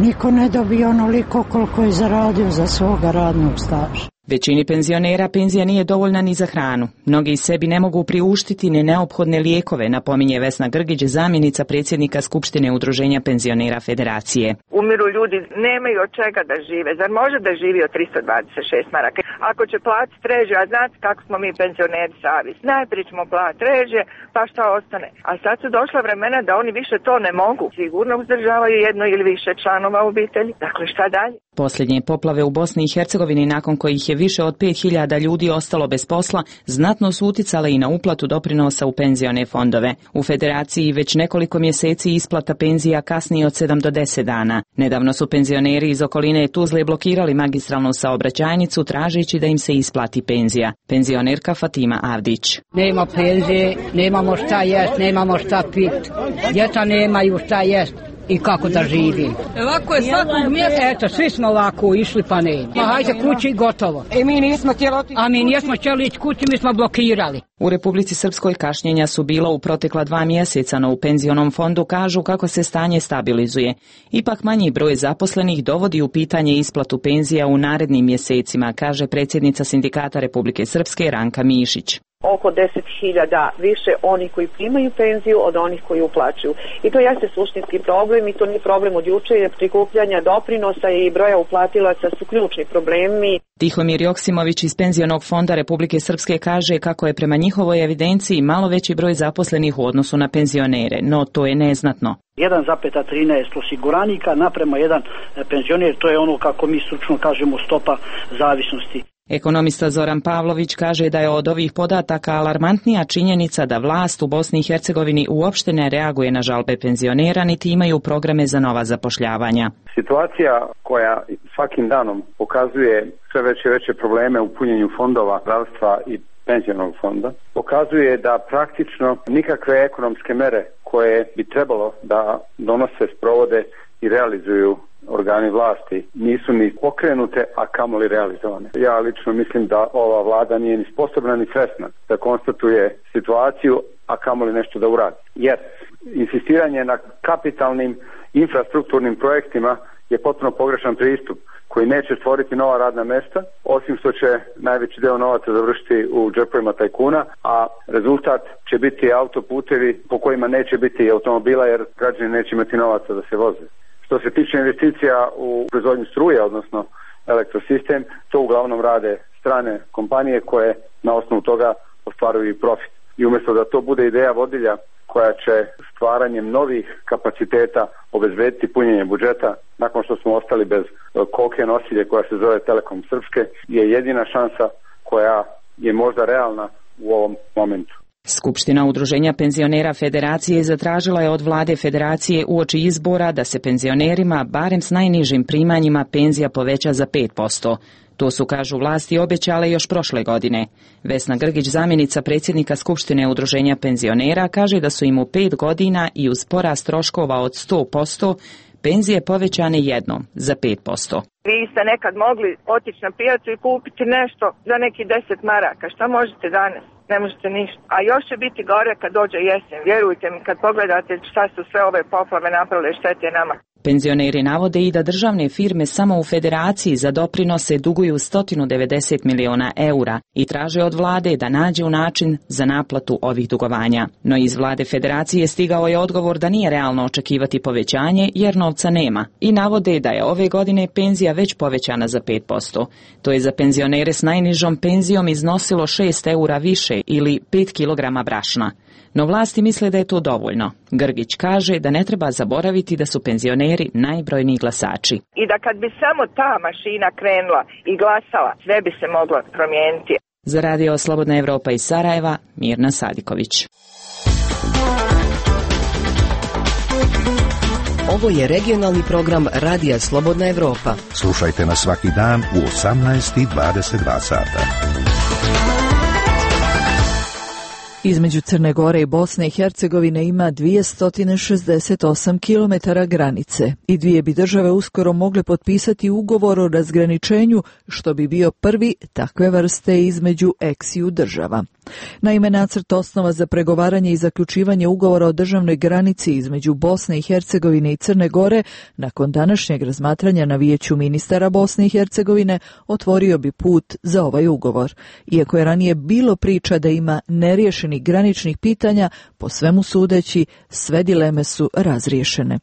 Niko ne dobije onoliko koliko je zaradio za svoga radnog staža. Većini penzionera penzija nije dovoljna ni za hranu. Mnogi sebi ne mogu priuštiti ni neophodne lijekove, napominje Vesna Grgić, zamjenica predsjednika Skupštine Udruženja penzionera Federacije. Umiru ljudi, nemaju od čega da žive. Zar može da živi od 326 maraka? Ako će platiti režije, a znate kako smo mi penzioneri savjest. Najprije ćemo platiti režije, pa šta ostane. A sad su došla vremena da oni više to ne mogu. Sigurno uzdržavaju jedno ili više članova obitelji. Dakle, šta dalje? Posljednje poplave u Bosni i Hercegovini, nakon kojih je više od 5.000 ljudi ostalo bez posla, znatno su uticale i na uplatu doprinosa u penzione fondove. U Federaciji već nekoliko mjeseci isplata penzija kasni od 7 do 10 dana. Nedavno su penzioneri iz okoline Tuzle blokirali magistralnu saobraćajnicu tražeći da im se isplati penzija. Penzionerka Fatima Avdić. Nema penzije, nemamo šta jest, nemamo šta pit. Djeca nemaju šta jest. I kako da živim. Ovako je svakog mjesta. Eto, svi smo ovako išli pa ne. Ma hajde kući i gotovo. Mi nismo htjeli otići. A mi nismo htjeli ići kući, mi smo blokirali. U Republici Srpskoj kašnjenja su bila u protekla 2 mjeseca, no u penzionom fondu kažu kako se stanje stabilizuje. Ipak manji broj zaposlenih dovodi u pitanje isplatu penzija u narednim mjesecima, kaže predsjednica Sindikata Republike Srpske Ranka Mišić. Oko 10.000 više oni koji primaju penziju od onih koji uplaćuju. I to jeste suštinski problem i to nije problem od juče, jer prikupljanja doprinosa i broja uplatilaca su ključni problemi. Tihomir Joksimović iz Penzionog fonda Republike Srpske kaže kako je prema njihovoj evidenciji malo veći broj zaposlenih u odnosu na penzionere, no to je neznatno. 1,13 osiguranika naprema jedan penzioner, to je ono kako mi stručno kažemo stopa zavisnosti. Ekonomista Zoran Pavlović kaže da je od ovih podataka alarmantnija činjenica da vlast u Bosni i Hercegovini uopšte ne reaguje na žalbe penzionera niti imaju programe za nova zapošljavanja. Situacija koja svakim danom pokazuje sve veće i veće probleme u punjenju fondova zdravstva i penzionog fonda, pokazuje da praktično nikakve ekonomske mere koje bi trebalo da donose, sprovode i realizuju organi vlasti nisu ni pokrenute, a kamoli realizovane. Ja lično mislim da ova vlada nije ni sposobna ni svesna da konstatuje situaciju, a kamoli nešto da uradi. Jer insistiranje na kapitalnim infrastrukturnim projektima je potpuno pogrešan pristup koji neće stvoriti nova radna mjesta, osim što će najveći deo novaca završiti u džepovima tajkuna, a rezultat će biti autoputevi po kojima neće biti automobila jer građani neće imati novaca da se voze. Što se tiče investicija u proizvodnju struje, odnosno elektrosistem, to uglavnom rade strane kompanije koje na osnovu toga ostvaruju i profit. I umjesto da to bude ideja vodilja koja će stvaranjem novih kapaciteta obezbediti punjenje budžeta, nakon što smo ostali bez koke nosilje koja se zove Telekom Srpske, je jedina šansa koja je možda realna u ovom momentu. Skupština Udruženja penzionera Federacije zatražila je od vlade Federacije uoči izbora da se penzionerima, barem s najnižim primanjima, penzija poveća za 5%. To su, kažu vlasti, obećale još prošle godine. Vesna Grgić, zamjenica predsjednika Skupštine Udruženja penzionera, kaže da su im u 5 godina i uz porast troškova od 100% penzije povećane jednom za 5%. Vi ste nekad mogli otići na pijacu i kupiti nešto za neki 10 maraka. Šta možete danas? Ne možete ništa. A još će biti gore kad dođe jesen. Vjerujte mi, kad pogledate šta su sve ove poplave napravile štete nama. Penzioneri navode i da državne firme samo u Federaciji za doprinose duguju 190 miliona eura i traže od vlade da nađe način za naplatu ovih dugovanja. No iz vlade Federacije stigao je odgovor da nije realno očekivati povećanje jer novca nema i navode da je ove godine penzija već povećana za 5%. To je za penzionere s najnižom penzijom iznosilo 6 eura više ili 5 kilograma brašna. No vlasti misle da je to dovoljno. Grgić kaže da ne treba zaboraviti da su penzioneri najbrojniji glasači. I da kad bi samo ta mašina krenula i glasala, sve bi se moglo promijeniti. Za radio Slobodna Evropa iz Sarajeva, Mirna Sadiković. Ovo je regionalni program Radija Slobodna Evropa. Slušajte nas svaki dan u 18:22 sata. Između Crne Gore i Bosne i Hercegovine ima 268 km granice i dvije bi države uskoro mogle potpisati ugovor o razgraničenju, što bi bio prvi takve vrste između eksiju država. Naime, nacrt osnova za pregovaranje i zaključivanje ugovora o državnoj granici između Bosne i Hercegovine i Crne Gore nakon današnjeg razmatranja na Vijeću ministara Bosne i Hercegovine otvorio bi put za ovaj ugovor. Iako je ranije bilo priča da ima neriješenih graničnih pitanja, po svemu sudeći sve dileme su razriješene.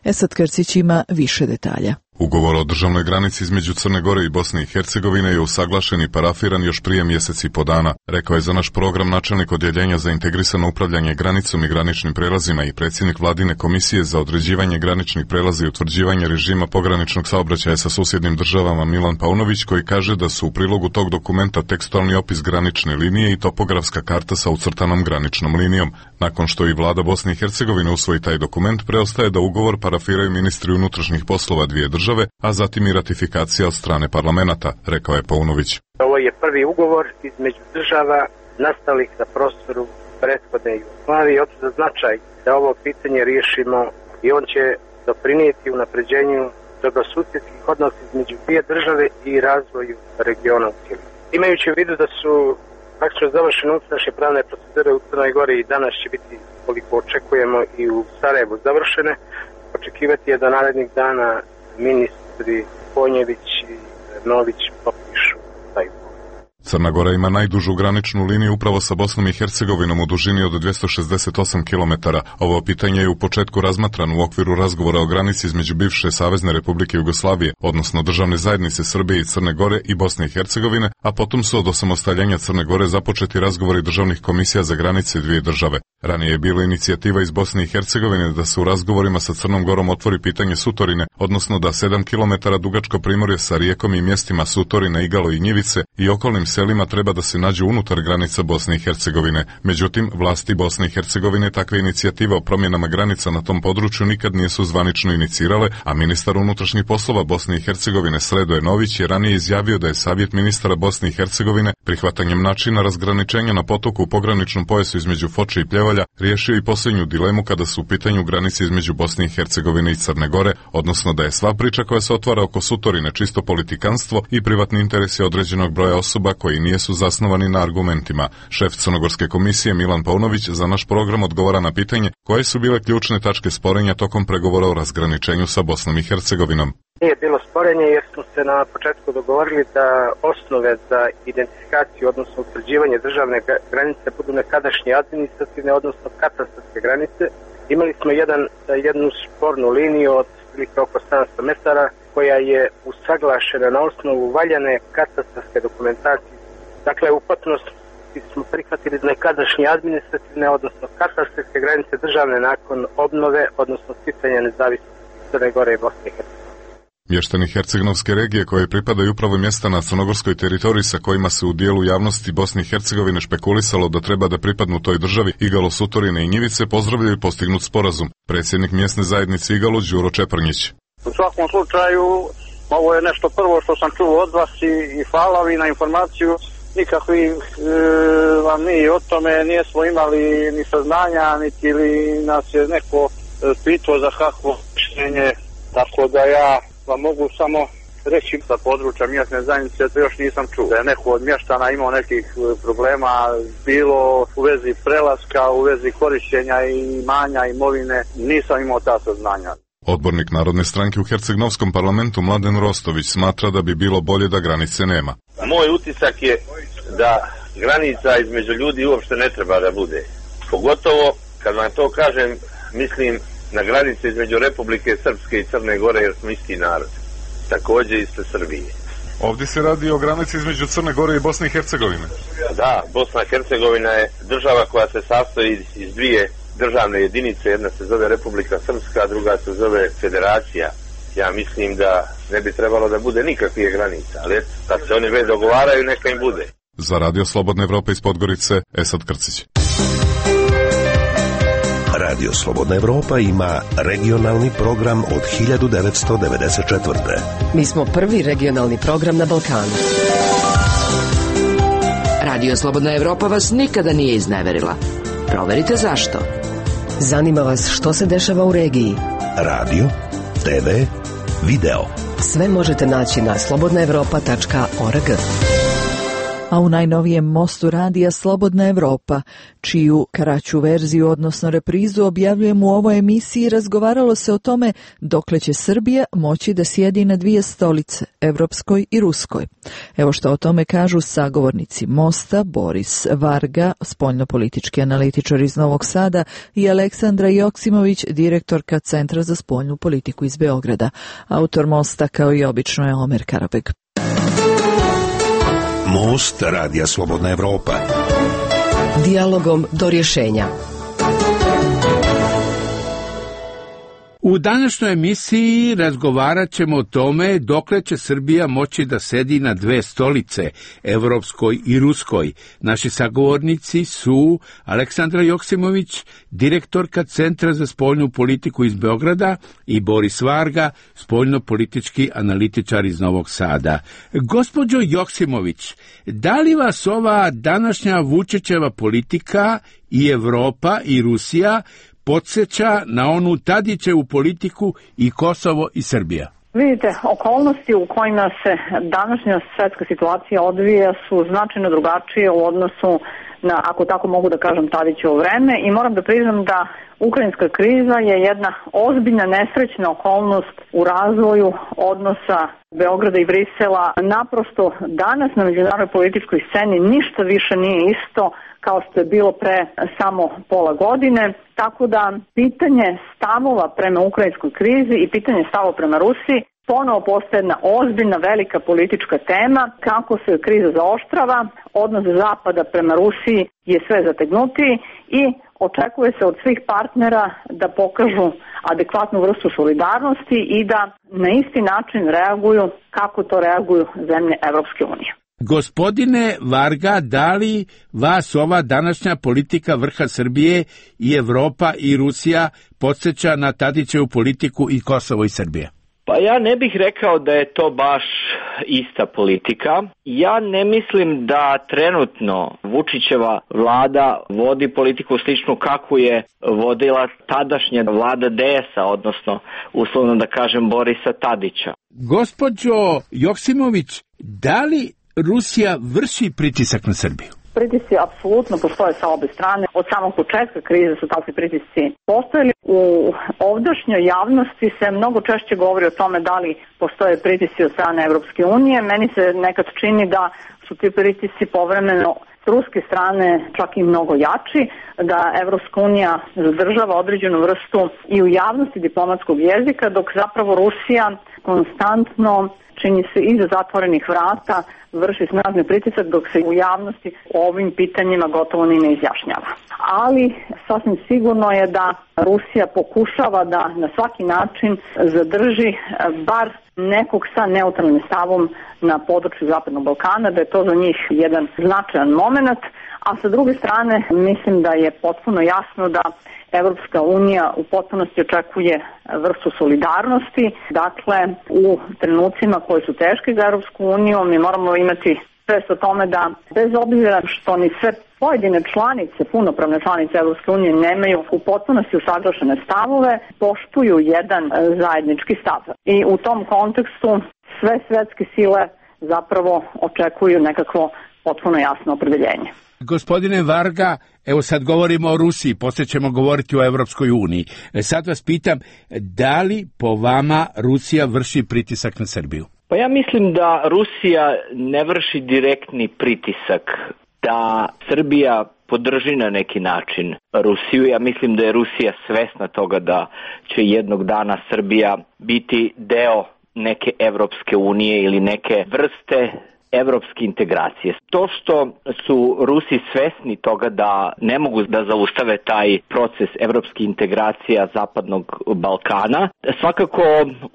Esad Krcić ima više detalja. Ugovor o državnoj granici između Crne Gore i Bosne i Hercegovine je usaglašen i parafiran još prije mjesec i po dana, rekao je za naš program načelnik odjeljenja za integrisano upravljanje granicom i graničnim prelazima i predsjednik Vladine komisije za određivanje graničnih prelaza i utvrđivanje režima pograničnog saobraćaja sa susjednim državama Milan Paunović, koji kaže da su u prilogu tog dokumenta tekstualni opis granične linije i topografska karta sa ucrtanom graničnom linijom. Nakon što i vlada Bosne i Hercegovine usvoji taj dokument, preostaje da ugovor parafiraju ministri unutrašnjih poslova dvije države, a zatim i ratifikacija od strane parlamenta, rekao je Paunović. Ovo je prvi ugovor između država nastalih na prostoru prethodne Jugoslavije. Od za značaj da ovo pitanje riješimo i on će doprinijeti unapređenju dobrosusjedskih odnosa između dvije države i razvoju regiona u cijelini. Imajući u vidu da su praktično završene unutrašnje pravne procedure u Crnoj Gori i danas će biti, koliko očekujemo, i u Sarajevu završene, očekivati je da narednih dana ministri Konjević i Nović potpišu taj ugovor. Crna Gora ima najdužu graničnu liniju upravo sa Bosnom i Hercegovinom u dužini od 268 km. Ovo pitanje je u početku razmatrano u okviru razgovora o granici između bivše Savezne Republike Jugoslavije, odnosno državne zajednice Srbije i Crne Gore i Bosne i Hercegovine, a potom su od osamostaljenja Crne Gore započeti razgovori državnih komisija za granice dvije države. Ranije je bila inicijativa iz Bosne i Hercegovine da se u razgovorima sa Crnom Gorom otvori pitanje Sutorine, odnosno da 7 km dugačko primorje sa rijekom i mjestima Sutorina, Igalo i Njivice i okolnim selima treba da se nađu unutar granica Bosne i Hercegovine. Međutim, vlasti Bosne i Hercegovine takve inicijative o promjenama granica na tom području nikad nisu zvanično inicirale, a ministar unutrašnjih poslova Bosne i Hercegovine Sredoje Nović je ranije izjavio da je savjet ministara Bosne i Hercegovine prihvatanjem načina razgraničenja na potoku u pograničnom pojasu između Foče i Pljevalja riješio i posljednju dilemu kada su u pitanju granice između Bosne i Hercegovine i Crne Gore, odnosno da je sva priča koja se otvara oko Sutorine čisto politikanstvo i privatni interesi određenog broja osoba koji nisu zasnovani na argumentima. Šef Crnogorske komisije Milan Paunović za naš program odgovara na pitanje koje su bile ključne tačke sporenja tokom pregovora o razgraničenju sa Bosnom i Hercegovinom. Nije bilo sporenje jer smo se na početku dogovorili da osnove za identifikaciju, odnosno utvrđivanje državne granice budu nekadašnje administrativne, odnosno katastarske granice. Imali smo jednu spornu liniju od oko 700 metara koja je usaglašena na osnovu valjane katastarske dokumentacije. Dakle, u potpunosti smo prihvatili nekadašnje administrativne, odnosno katastarske granice državne nakon obnove, odnosno sticanja nezavisnosti Crne Gore i Bosne i Hercegovine. Mještani Herceg-Novske regije koje pripadaju upravo mjesta na crnogorskoj teritoriji sa kojima se u dijelu javnosti Bosne i Hercegovine špekulisalo da treba da pripadnu toj državi, Igalo, Sutorine i Njivice, pozdravljaju postignut sporazum. Predsjednik mjesne zajednice Igalo, Đuro Čeprnjić. U svakom slučaju, ovo je nešto prvo što sam čuo od vas i hvala vi na informaciju. Nikakvi vam mi o tome nismo imali ni saznanja, niti li nas je neko pitao za kakvo mišljenje, tako da ja vam mogu samo reći sa područja mjesne zajednice, to još nisam čuo. Da je neko od mještana imao nekih problema, bilo u vezi prelaska, u vezi korištenja i imanja, imovine, nisam imao ta saznanja. Odbornik Narodne stranke u Herceg-Novskom parlamentu Mladen Rostović smatra da bi bilo bolje da granice nema. Moj utisak je da granica između ljudi uopšte ne treba da bude. Pogotovo, kad vam to kažem, mislim na granice između Republike Srpske i Crne Gore, jer smo isti narod. Također ispred Srbije. Ovdje se radi o granici između Crne Gore i Bosne i Hercegovine. Da, Bosna i Hercegovina je država koja se sastoji iz dvije državne jedinice. Jedna se zove Republika Srpska, a druga se zove Federacija. Ja mislim da ne bi trebalo da bude nikakvih granica, ali kad se oni već dogovaraju, neka im bude. Za Radio Slobodne Evrope iz Podgorice, Esad Krcić. Radio Slobodna Evropa ima regionalni program od 1994. Mi smo prvi regionalni program na Balkanu. Radio Slobodna Evropa vas nikada nije izneverila. Proverite zašto. Zanima vas što se dešava u regiji. Radio, TV, video. Sve možete naći na slobodnaevropa.org. A u najnovijem mostu radija Slobodna Evropa, čiju kraću verziju, odnosno reprizu, objavljujemo u ovoj emisiji, razgovaralo se o tome dokle će Srbija moći da sjedi na dvije stolice, evropskoj i ruskoj. Evo što o tome kažu sagovornici mosta, Boris Varga, spoljnopolitički analitičar iz Novog Sada, i Aleksandra Joksimović, direktorka Centra za spoljnu politiku iz Beograda. Autor mosta, kao i obično, je Omer Karabeg. Most radija Slobodna Evropa. Dijalogom do rješenja. U današnjoj emisiji razgovarat ćemo o tome dokle će Srbija moći da sedi na dve stolice, evropskoj i ruskoj. Naši sagovornici su Aleksandra Joksimović, direktorka Centra za spoljnu politiku iz Beograda, i Boris Varga, spoljnopolitički analitičar iz Novog Sada. Gospođo Joksimović, da li vas ova današnja Vučićeva politika i Evropa i Rusija podsjeća na onu Tadićevu politiku i Kosovo i Srbija? Vidite, okolnosti u kojima se današnja svjetska situacija odvija su značajno drugačije u odnosu na, ako tako mogu da kažem, Tadićevo vreme, i moram da priznam da ukrajinska kriza je jedna ozbiljna nesrećna okolnost u razvoju odnosa Beograda i Brisela. Naprosto danas na međunarodnoj političkoj sceni ništa više nije isto kao što je bilo pre samo pola godine, tako da pitanje stavova prema ukrajinskoj krizi i pitanje stavova prema Rusiji ponovo postaje jedna ozbiljna, velika politička tema. Kako se kriza zaoštrava, odnos Zapada prema Rusiji je sve zategnutiji i očekuje se od svih partnera da pokažu adekvatnu vrstu solidarnosti i da na isti način reaguju kako to reaguju zemlje Evropske unije. Gospodine Varga, da li vas ova današnja politika vrha Srbije i Evropa i Rusija podsjeća na Tadićevu politiku i Kosovo i Srbija? Pa ja ne bih rekao da je to baš ista politika. Ja ne mislim da trenutno Vučićeva vlada vodi politiku sličnu kakvu je vodila tadašnja vlada DS-a, odnosno uslovno da kažem Borisa Tadića. Gospođo Joksimović, da li Rusija vrši pritisak na Srbiju? Pritisci apsolutno postoje sa obe strane. Od samog početka krize su takvi pritisci postojali. U ovdašnjoj javnosti se mnogo češće govori o tome da li postoje pritisci od strane Evropske unije. Meni se nekad čini da su ti pritisci povremeno s ruske strane čak i mnogo jači, da Evropska unija zadržava određenu vrstu i u javnosti diplomatskog jezika, dok zapravo Rusija konstantno, čini se iza zatvorenih vrata, vrši snažni pritisak, dok se u javnosti o ovim pitanjima gotovo ni ne izjašnjava. Ali sasvim sigurno je da Rusija pokušava da na svaki način zadrži bar nekog sa neutralnim stavom na području Zapadnog Balkana, da je to za njih jedan značajan moment, a sa druge strane mislim da je potpuno jasno da Evropska unija u potpunosti očekuje vrstu solidarnosti. Dakle, u trenucima koji su teški za Evropsku uniju mi moramo imati svest o tome da bez obzira što ni sve pojedine članice, punopravne članice Evropske unije nemaju u potpunosti usaglašene stavove, poštuju jedan zajednički stav. I u tom kontekstu sve svetske sile zapravo očekuju nekakvo potpuno jasno opredeljenje. Gospodine Varga, evo sad govorimo o Rusiji, poslije ćemo govoriti o Evropskoj uniji. Sad vas pitam, da li po vama Rusija vrši pritisak na Srbiju? Pa ja mislim da Rusija ne vrši direktni pritisak, da Srbija podrži na neki način Rusiju. Ja mislim da je Rusija svesna toga da će jednog dana Srbija biti deo neke Evropske unije ili neke vrste evropske integracije. To što su Rusi svesni toga da ne mogu da zaustave taj proces evropske integracija Zapadnog Balkana, svakako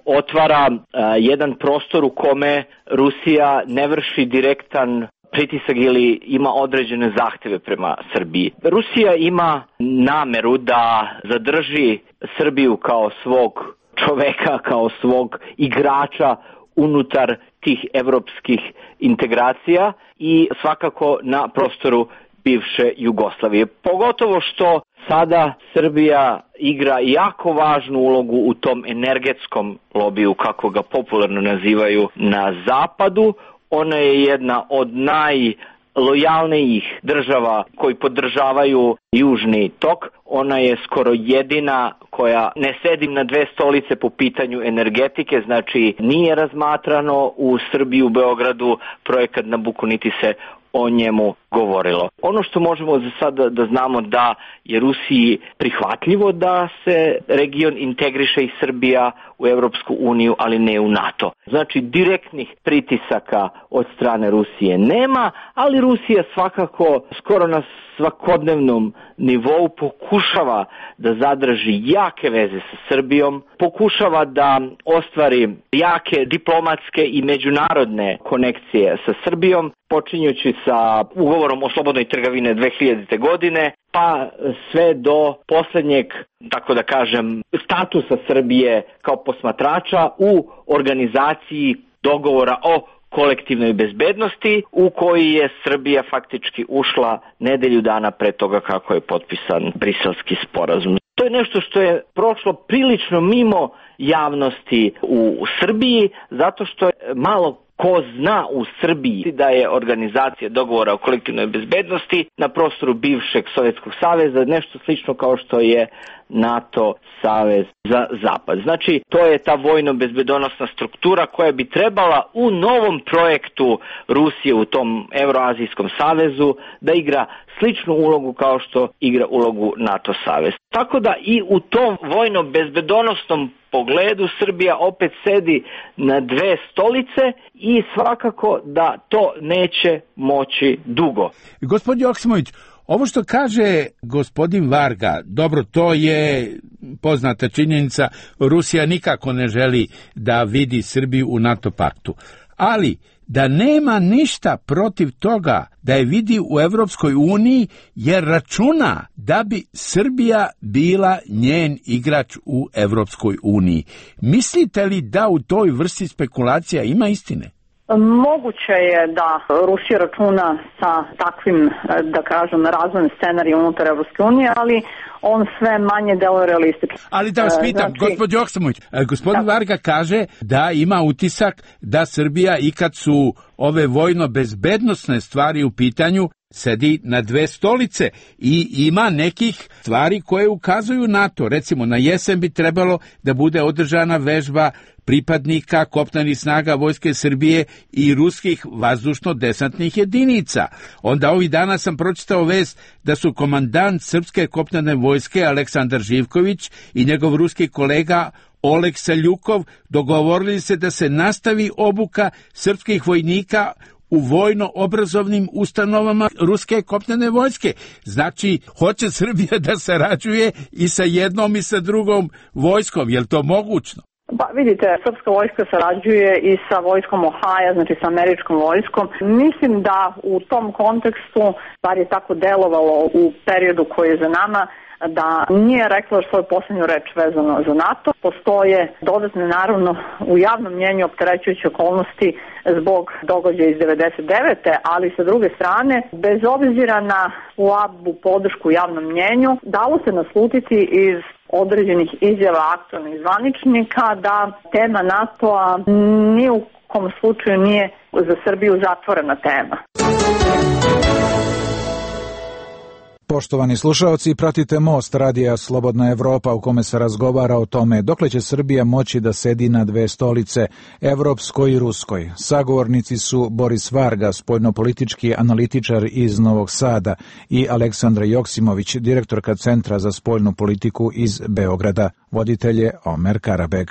otvara jedan prostor u kome Rusija ne vrši direktan pritisak ili ima određene zahteve prema Srbiji. Rusija ima nameru da zadrži Srbiju kao svog čoveka, kao svog igrača unutar tih evropskih integracija i svakako na prostoru bivše Jugoslavije. Pogotovo što sada Srbija igra jako važnu ulogu u tom energetskom lobiju, kako ga popularno nazivaju na zapadu. Ona je jedna od najlojalnijih država koji podržavaju Južni tok. Ona je skoro jedina koja ne sedi na dve stolice po pitanju energetike, znači nije razmatrano u Srbiji, u Beogradu projekat Nabucco, niti se o njemu govorilo. Ono što možemo za sada da znamo da je Rusiji prihvatljivo da se region integriše i Srbija u Europsku uniju, ali ne u NATO. Znači direktnih pritisaka od strane Rusije nema, ali Rusija svakako skoro na svakodnevnom nivou pokušava da zadrži jake veze sa Srbijom, pokušava da ostvari jake diplomatske i međunarodne konekcije sa Srbijom, počinjući sa ugovorom o slobodnoj trgovini 2000. godine, pa sve do posljednjeg, tako da kažem, statusa Srbije kao posmatrača u organizaciji dogovora o kolektivnoj bezbednosti u koji je Srbija faktički ušla nedelju dana pre toga kako je potpisan Briselski sporazum. To je nešto što je prošlo prilično mimo javnosti u Srbiji, zato što je malo ko zna u Srbiji da je organizacija dogovora o kolektivnoj bezbednosti na prostoru bivšeg Sovjetskog saveza nešto slično kao što je NATO savez za zapad. Znači, to je ta vojno-bezbedonosna struktura koja bi trebala u novom projektu Rusije u tom Euroazijskom savezu da igra sličnu ulogu kao što igra ulogu NATO savez. Tako da i u tom vojno-bezbedonosnom pogledu Srbija opet sedi na dve stolice i svakako da to neće moći dugo. Gospodin Joksimović, ovo što kaže gospodin Varga, dobro, to je poznata činjenica, Rusija nikako ne želi da vidi Srbiju u NATO paktu, ali da nema ništa protiv toga da je vidi u Evropskoj uniji, jer računa da bi Srbija bila njen igrač u Evropskoj uniji. Mislite li da u toj vrsti spekulacija ima istine? Moguće je da Rusija računa sa takvim, da kažem, razvojnim scenarijom unutar Evropske unije, ali on sve manje deluje realistično. Ali da vas pitam, gospođo Joksimović, gospodin Varga kaže da ima utisak da Srbija, i kad su ove vojno-bezbednosne stvari u pitanju, sedi na dve stolice i ima nekih stvari koje ukazuju na to. Recimo, na jesen bi trebalo da bude održana vežba pripadnika kopnenih snaga Vojske Srbije i ruskih vazdušno-desantnih jedinica. Onda ovih dana sam pročitao vest da su komandant Srpske kopnene vojske Aleksandar Živković i njegov ruski kolega Oleg Seljukov dogovorili se da se nastavi obuka srpskih vojnika u vojno-obrazovnim ustanovama ruske kopnene vojske. Znači, hoće Srbija da sarađuje i sa jednom i sa drugom vojskom. Je li to mogućno? Pa vidite, srpska vojska sarađuje i sa vojskom Ohaja, znači sa američkom vojskom. Mislim da u tom kontekstu, bar je tako delovalo u periodu koji je za nama, da nije rekla svoju posljednju reč vezano za NATO. Postoje dodatne, naravno, u javnom mnjenju opterećujuće okolnosti zbog događaja iz 99. ali sa druge strane, bez obzira na slabu podršku javnom mnjenju, dalo se naslutiti iz određenih izjava aktualnih zvaničnika da tema NATO-a ni u kom slučaju nije za Srbiju zatvorena tema. Poštovani slušaoci, pratite Most radija Slobodna Evropa u kome se razgovara o tome dokle će Srbija moći da sedi na dve stolice, evropskoj i ruskoj. Sagovornici su Boris Varga, spoljnopolitički analitičar iz Novog Sada, i Aleksandra Joksimović, direktorka Centra za spoljnu politiku iz Beograda. Voditelj je Omer Karabeg.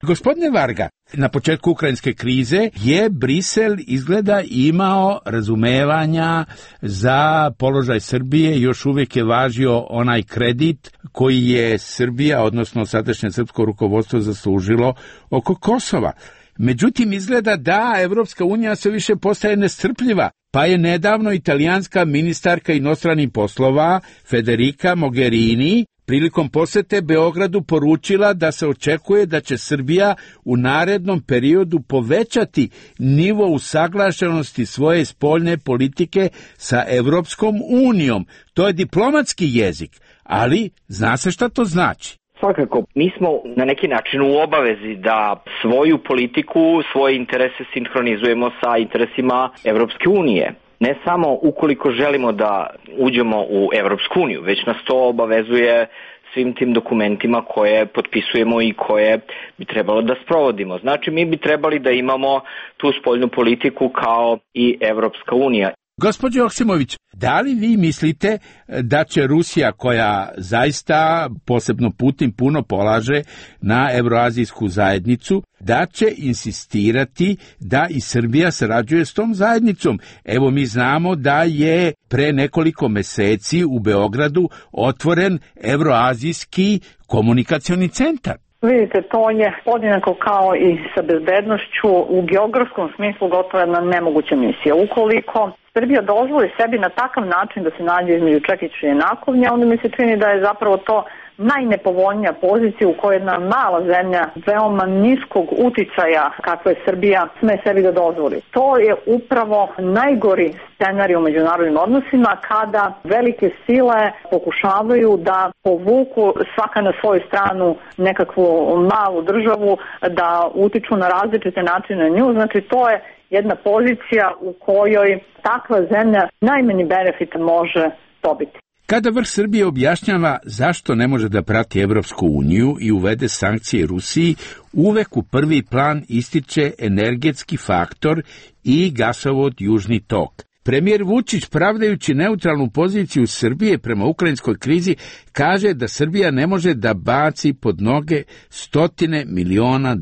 Gospodine Varga, na početku ukrajinske krize je Brisel izgleda imao razumevanja za položaj Srbije, još uvijek je važio onaj kredit koji je Srbija, odnosno sadašnje srpsko rukovodstvo, zaslužilo oko Kosova. Međutim, izgleda da Evropska unija sve više postaje nestrpljiva, pa je nedavno italijanska ministarka inostranih poslova Federica Mogherini prilikom posete Beogradu poručila da se očekuje da će Srbija u narednom periodu povećati nivo usaglašenosti svoje spoljne politike sa Evropskom unijom. To je diplomatski jezik, ali zna se šta to znači. Svakako, mi smo na neki način u obavezi da svoju politiku, svoje interese sinhronizujemo sa interesima Evropske unije. Ne samo ukoliko želimo da uđemo u Evropsku uniju, već nas to obavezuje svim tim dokumentima koje potpisujemo i koje bi trebalo da sprovodimo. Znači, mi bi trebali da imamo tu spoljnu politiku kao i Evropska unija. Gospođo Joksimović, da li vi mislite da će Rusija, koja zaista posebno Putin puno polaže na Evroazijsku zajednicu, da će insistirati da i Srbija sarađuje s tom zajednicom? Evo, mi znamo da je pre nekoliko meseci u Beogradu otvoren Evroazijski komunikacioni centar. Vidite, to je podjednako kao i sa bezbednošću u geografskom smislu gotovo jedna nemoguća misija. Ukoliko Srbija dozvoli sebi na takav način da se nađe između čekića i nakovnja, onda mi se čini da je zapravo to najnepovoljnija pozicija u kojoj jedna mala zemlja veoma niskog uticaja kakva je Srbija sme sebi da dozvoli. To je upravo najgori scenarij u međunarodnim odnosima kada velike sile pokušavaju da povuku svaka na svoju stranu nekakvu malu državu, da utiču na različite načine na nju. Znači, to je jedna pozicija u kojoj takva zemlja najmanji benefit može dobiti. Kada vrh Srbije objašnjava zašto ne može da prati Evropsku uniju i uvede sankcije Rusiji, uvek u prvi plan ističe energetski faktor i gasovod Južni tok. Premijer Vučić, pravdajući neutralnu poziciju Srbije prema ukrajinskoj krizi, kaže da Srbija ne može da baci pod noge $100 miliona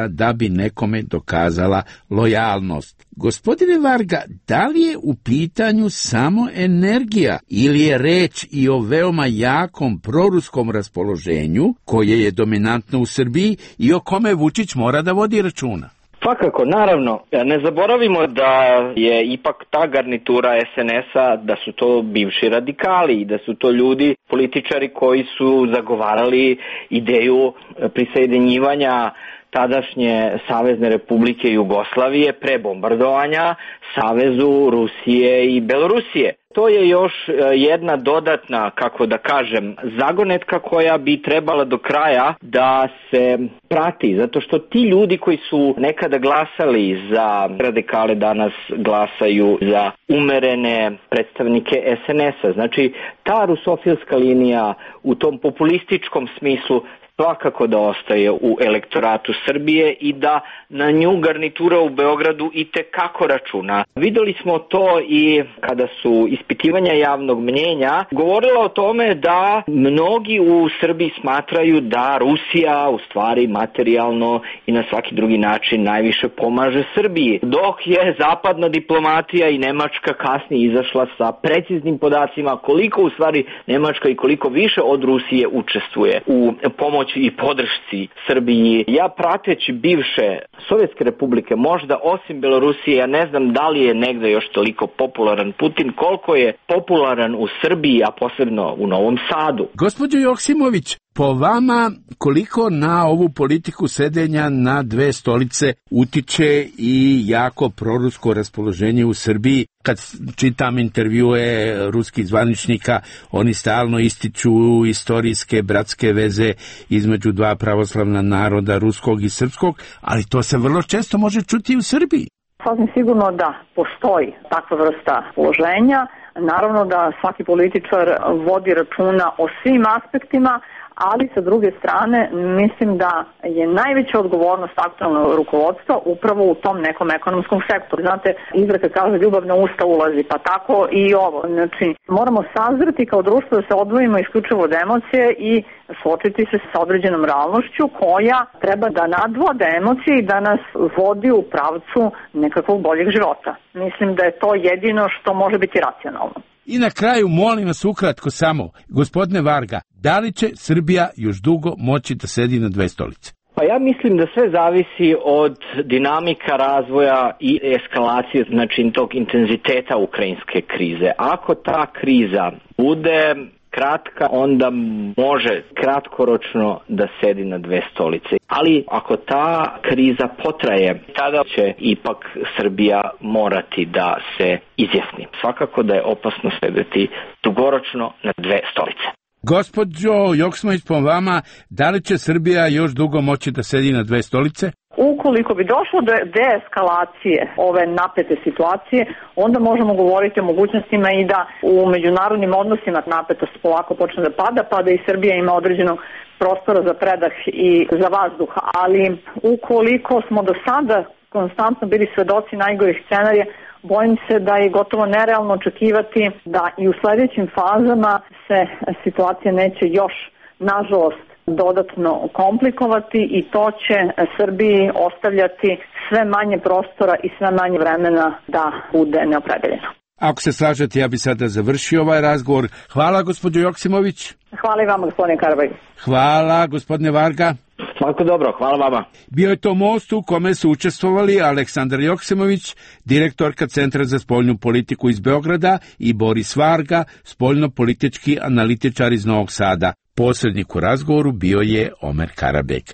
da bi nekome dokazala lojalnost. Gospodine Varga, da li je u pitanju samo energija ili je reč i o veoma jakom proruskom raspoloženju koje je dominantno u Srbiji i o kome Vučić mora da vodi računa? Svakako, naravno, ne zaboravimo da je ipak ta garnitura SNS-a, da su to bivši radikali i da su to ljudi, političari koji su zagovarali ideju prisjedinjivanja tadašnje Savezne Republike Jugoslavije pre bombardovanja Savezu Rusije i Belorusije. To je još jedna dodatna, kako da kažem, zagonetka koja bi trebala do kraja da se prati, zato što ti ljudi koji su nekada glasali za radikale danas glasaju za umerene predstavnike SNS-a. Znači, ta rusofilska linija u tom populističkom smislu svakako da ostaje u elektoratu Srbije i da na nju garnitura u Beogradu i tekako računa. Videli smo to i kada su ispitivanja javnog mnjenja govorila o tome da mnogi u Srbiji smatraju da Rusija u stvari materijalno i na svaki drugi način najviše pomaže Srbiji, dok je zapadna diplomatija i Nemačka kasnije izašla sa preciznim podacima koliko u stvari Nemačka i koliko više od Rusije učestvuje u pomoći i podršci Srbiji. Ja prateći bivše Sovjetske republike, možda osim Belorusije, ja ne znam da li je negde još toliko popularan Putin, koliko je popularan u Srbiji, a posebno u Novom Sadu. Gospođo Joksimović, po vama koliko na ovu politiku sedenja na dve stolice utiče i jako prorusko raspoloženje u Srbiji? Kad čitam intervjue ruskih zvaničnika, oni stalno ističu istorijske bratske veze između dva pravoslavna naroda, ruskog i srpskog, ali to se vrlo često može čuti i u Srbiji. Sasvim sigurno da postoji takva vrsta položenja. Naravno da svaki političar vodi računa o svim aspektima, ali sa druge strane mislim da je najveća odgovornost aktualnog rukovodstva upravo u tom nekom ekonomskom sektoru. Znate, izreka kaže ljubav na usta ulazi, pa tako i ovo. Znači, moramo sazreti kao društvo da se odvojimo isključivo od emocije i suočiti se sa određenom realnošću koja treba da nadvode emocije i da nas vodi u pravcu nekakvog boljeg života. Mislim da je to jedino što može biti racionalno. I na kraju, molim vas ukratko samo, gospodine Varga, da li će Srbija još dugo moći da sedi na dve stolice? Pa ja mislim da sve zavisi od dinamika razvoja i eskalacije, znači tog intenziteta ukrajinske krize. Ako ta kriza bude kratka, onda može kratkoročno da sedi na dve stolice. Ali ako ta kriza potraje, tada će ipak Srbija morati da se izjasni. Svakako da je opasno sedeti dugoročno na dve stolice. Gospođo Joksimović, po vama, da li će Srbija još dugo moći da sedi na dve stolice? Ukoliko bi došlo do deeskalacije ove napete situacije, onda možemo govoriti o mogućnostima i da u međunarodnim odnosima napetost polako počne da pada, pa da i Srbija ima određenog prostora za predah i za vazduh. Ali ukoliko smo do sada konstantno bili svedoci najgorih scenarija, bojim se da je gotovo nerealno očekivati da i u sledećim fazama se situacija neće još, nažalost, dodatno komplikovati i to će Srbiji ostavljati sve manje prostora i sve manje vremena da bude neopredeljeno. Ako se slažete, ja bi sada završio ovaj razgovor. Hvala, gospođo Joksimović. Hvala i vama, gospodine Karabaj. Hvala, gospodine Varga. Svako dobro, hvala vama. Bio je to most u kome su učestvovali Aleksandar Joksimović, direktorka Centra za spoljnu politiku iz Beograda, i Boris Varga, spoljno-politički analitičar iz Novog Sada. Posrednik u razgovoru bio je Omer Karabek.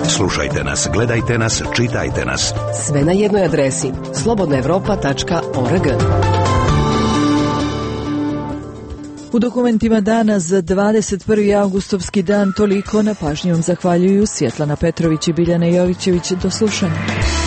Slušajte nas, gledajte nas, čitajte nas. Sve na jednoj adresi slobodnaevropa.org. U dokumentima dana za 21. augustovski dan toliko, na pažnjom zahvaljuju Svjetlana Petrović i Biljana Jovićević. Do slušanja.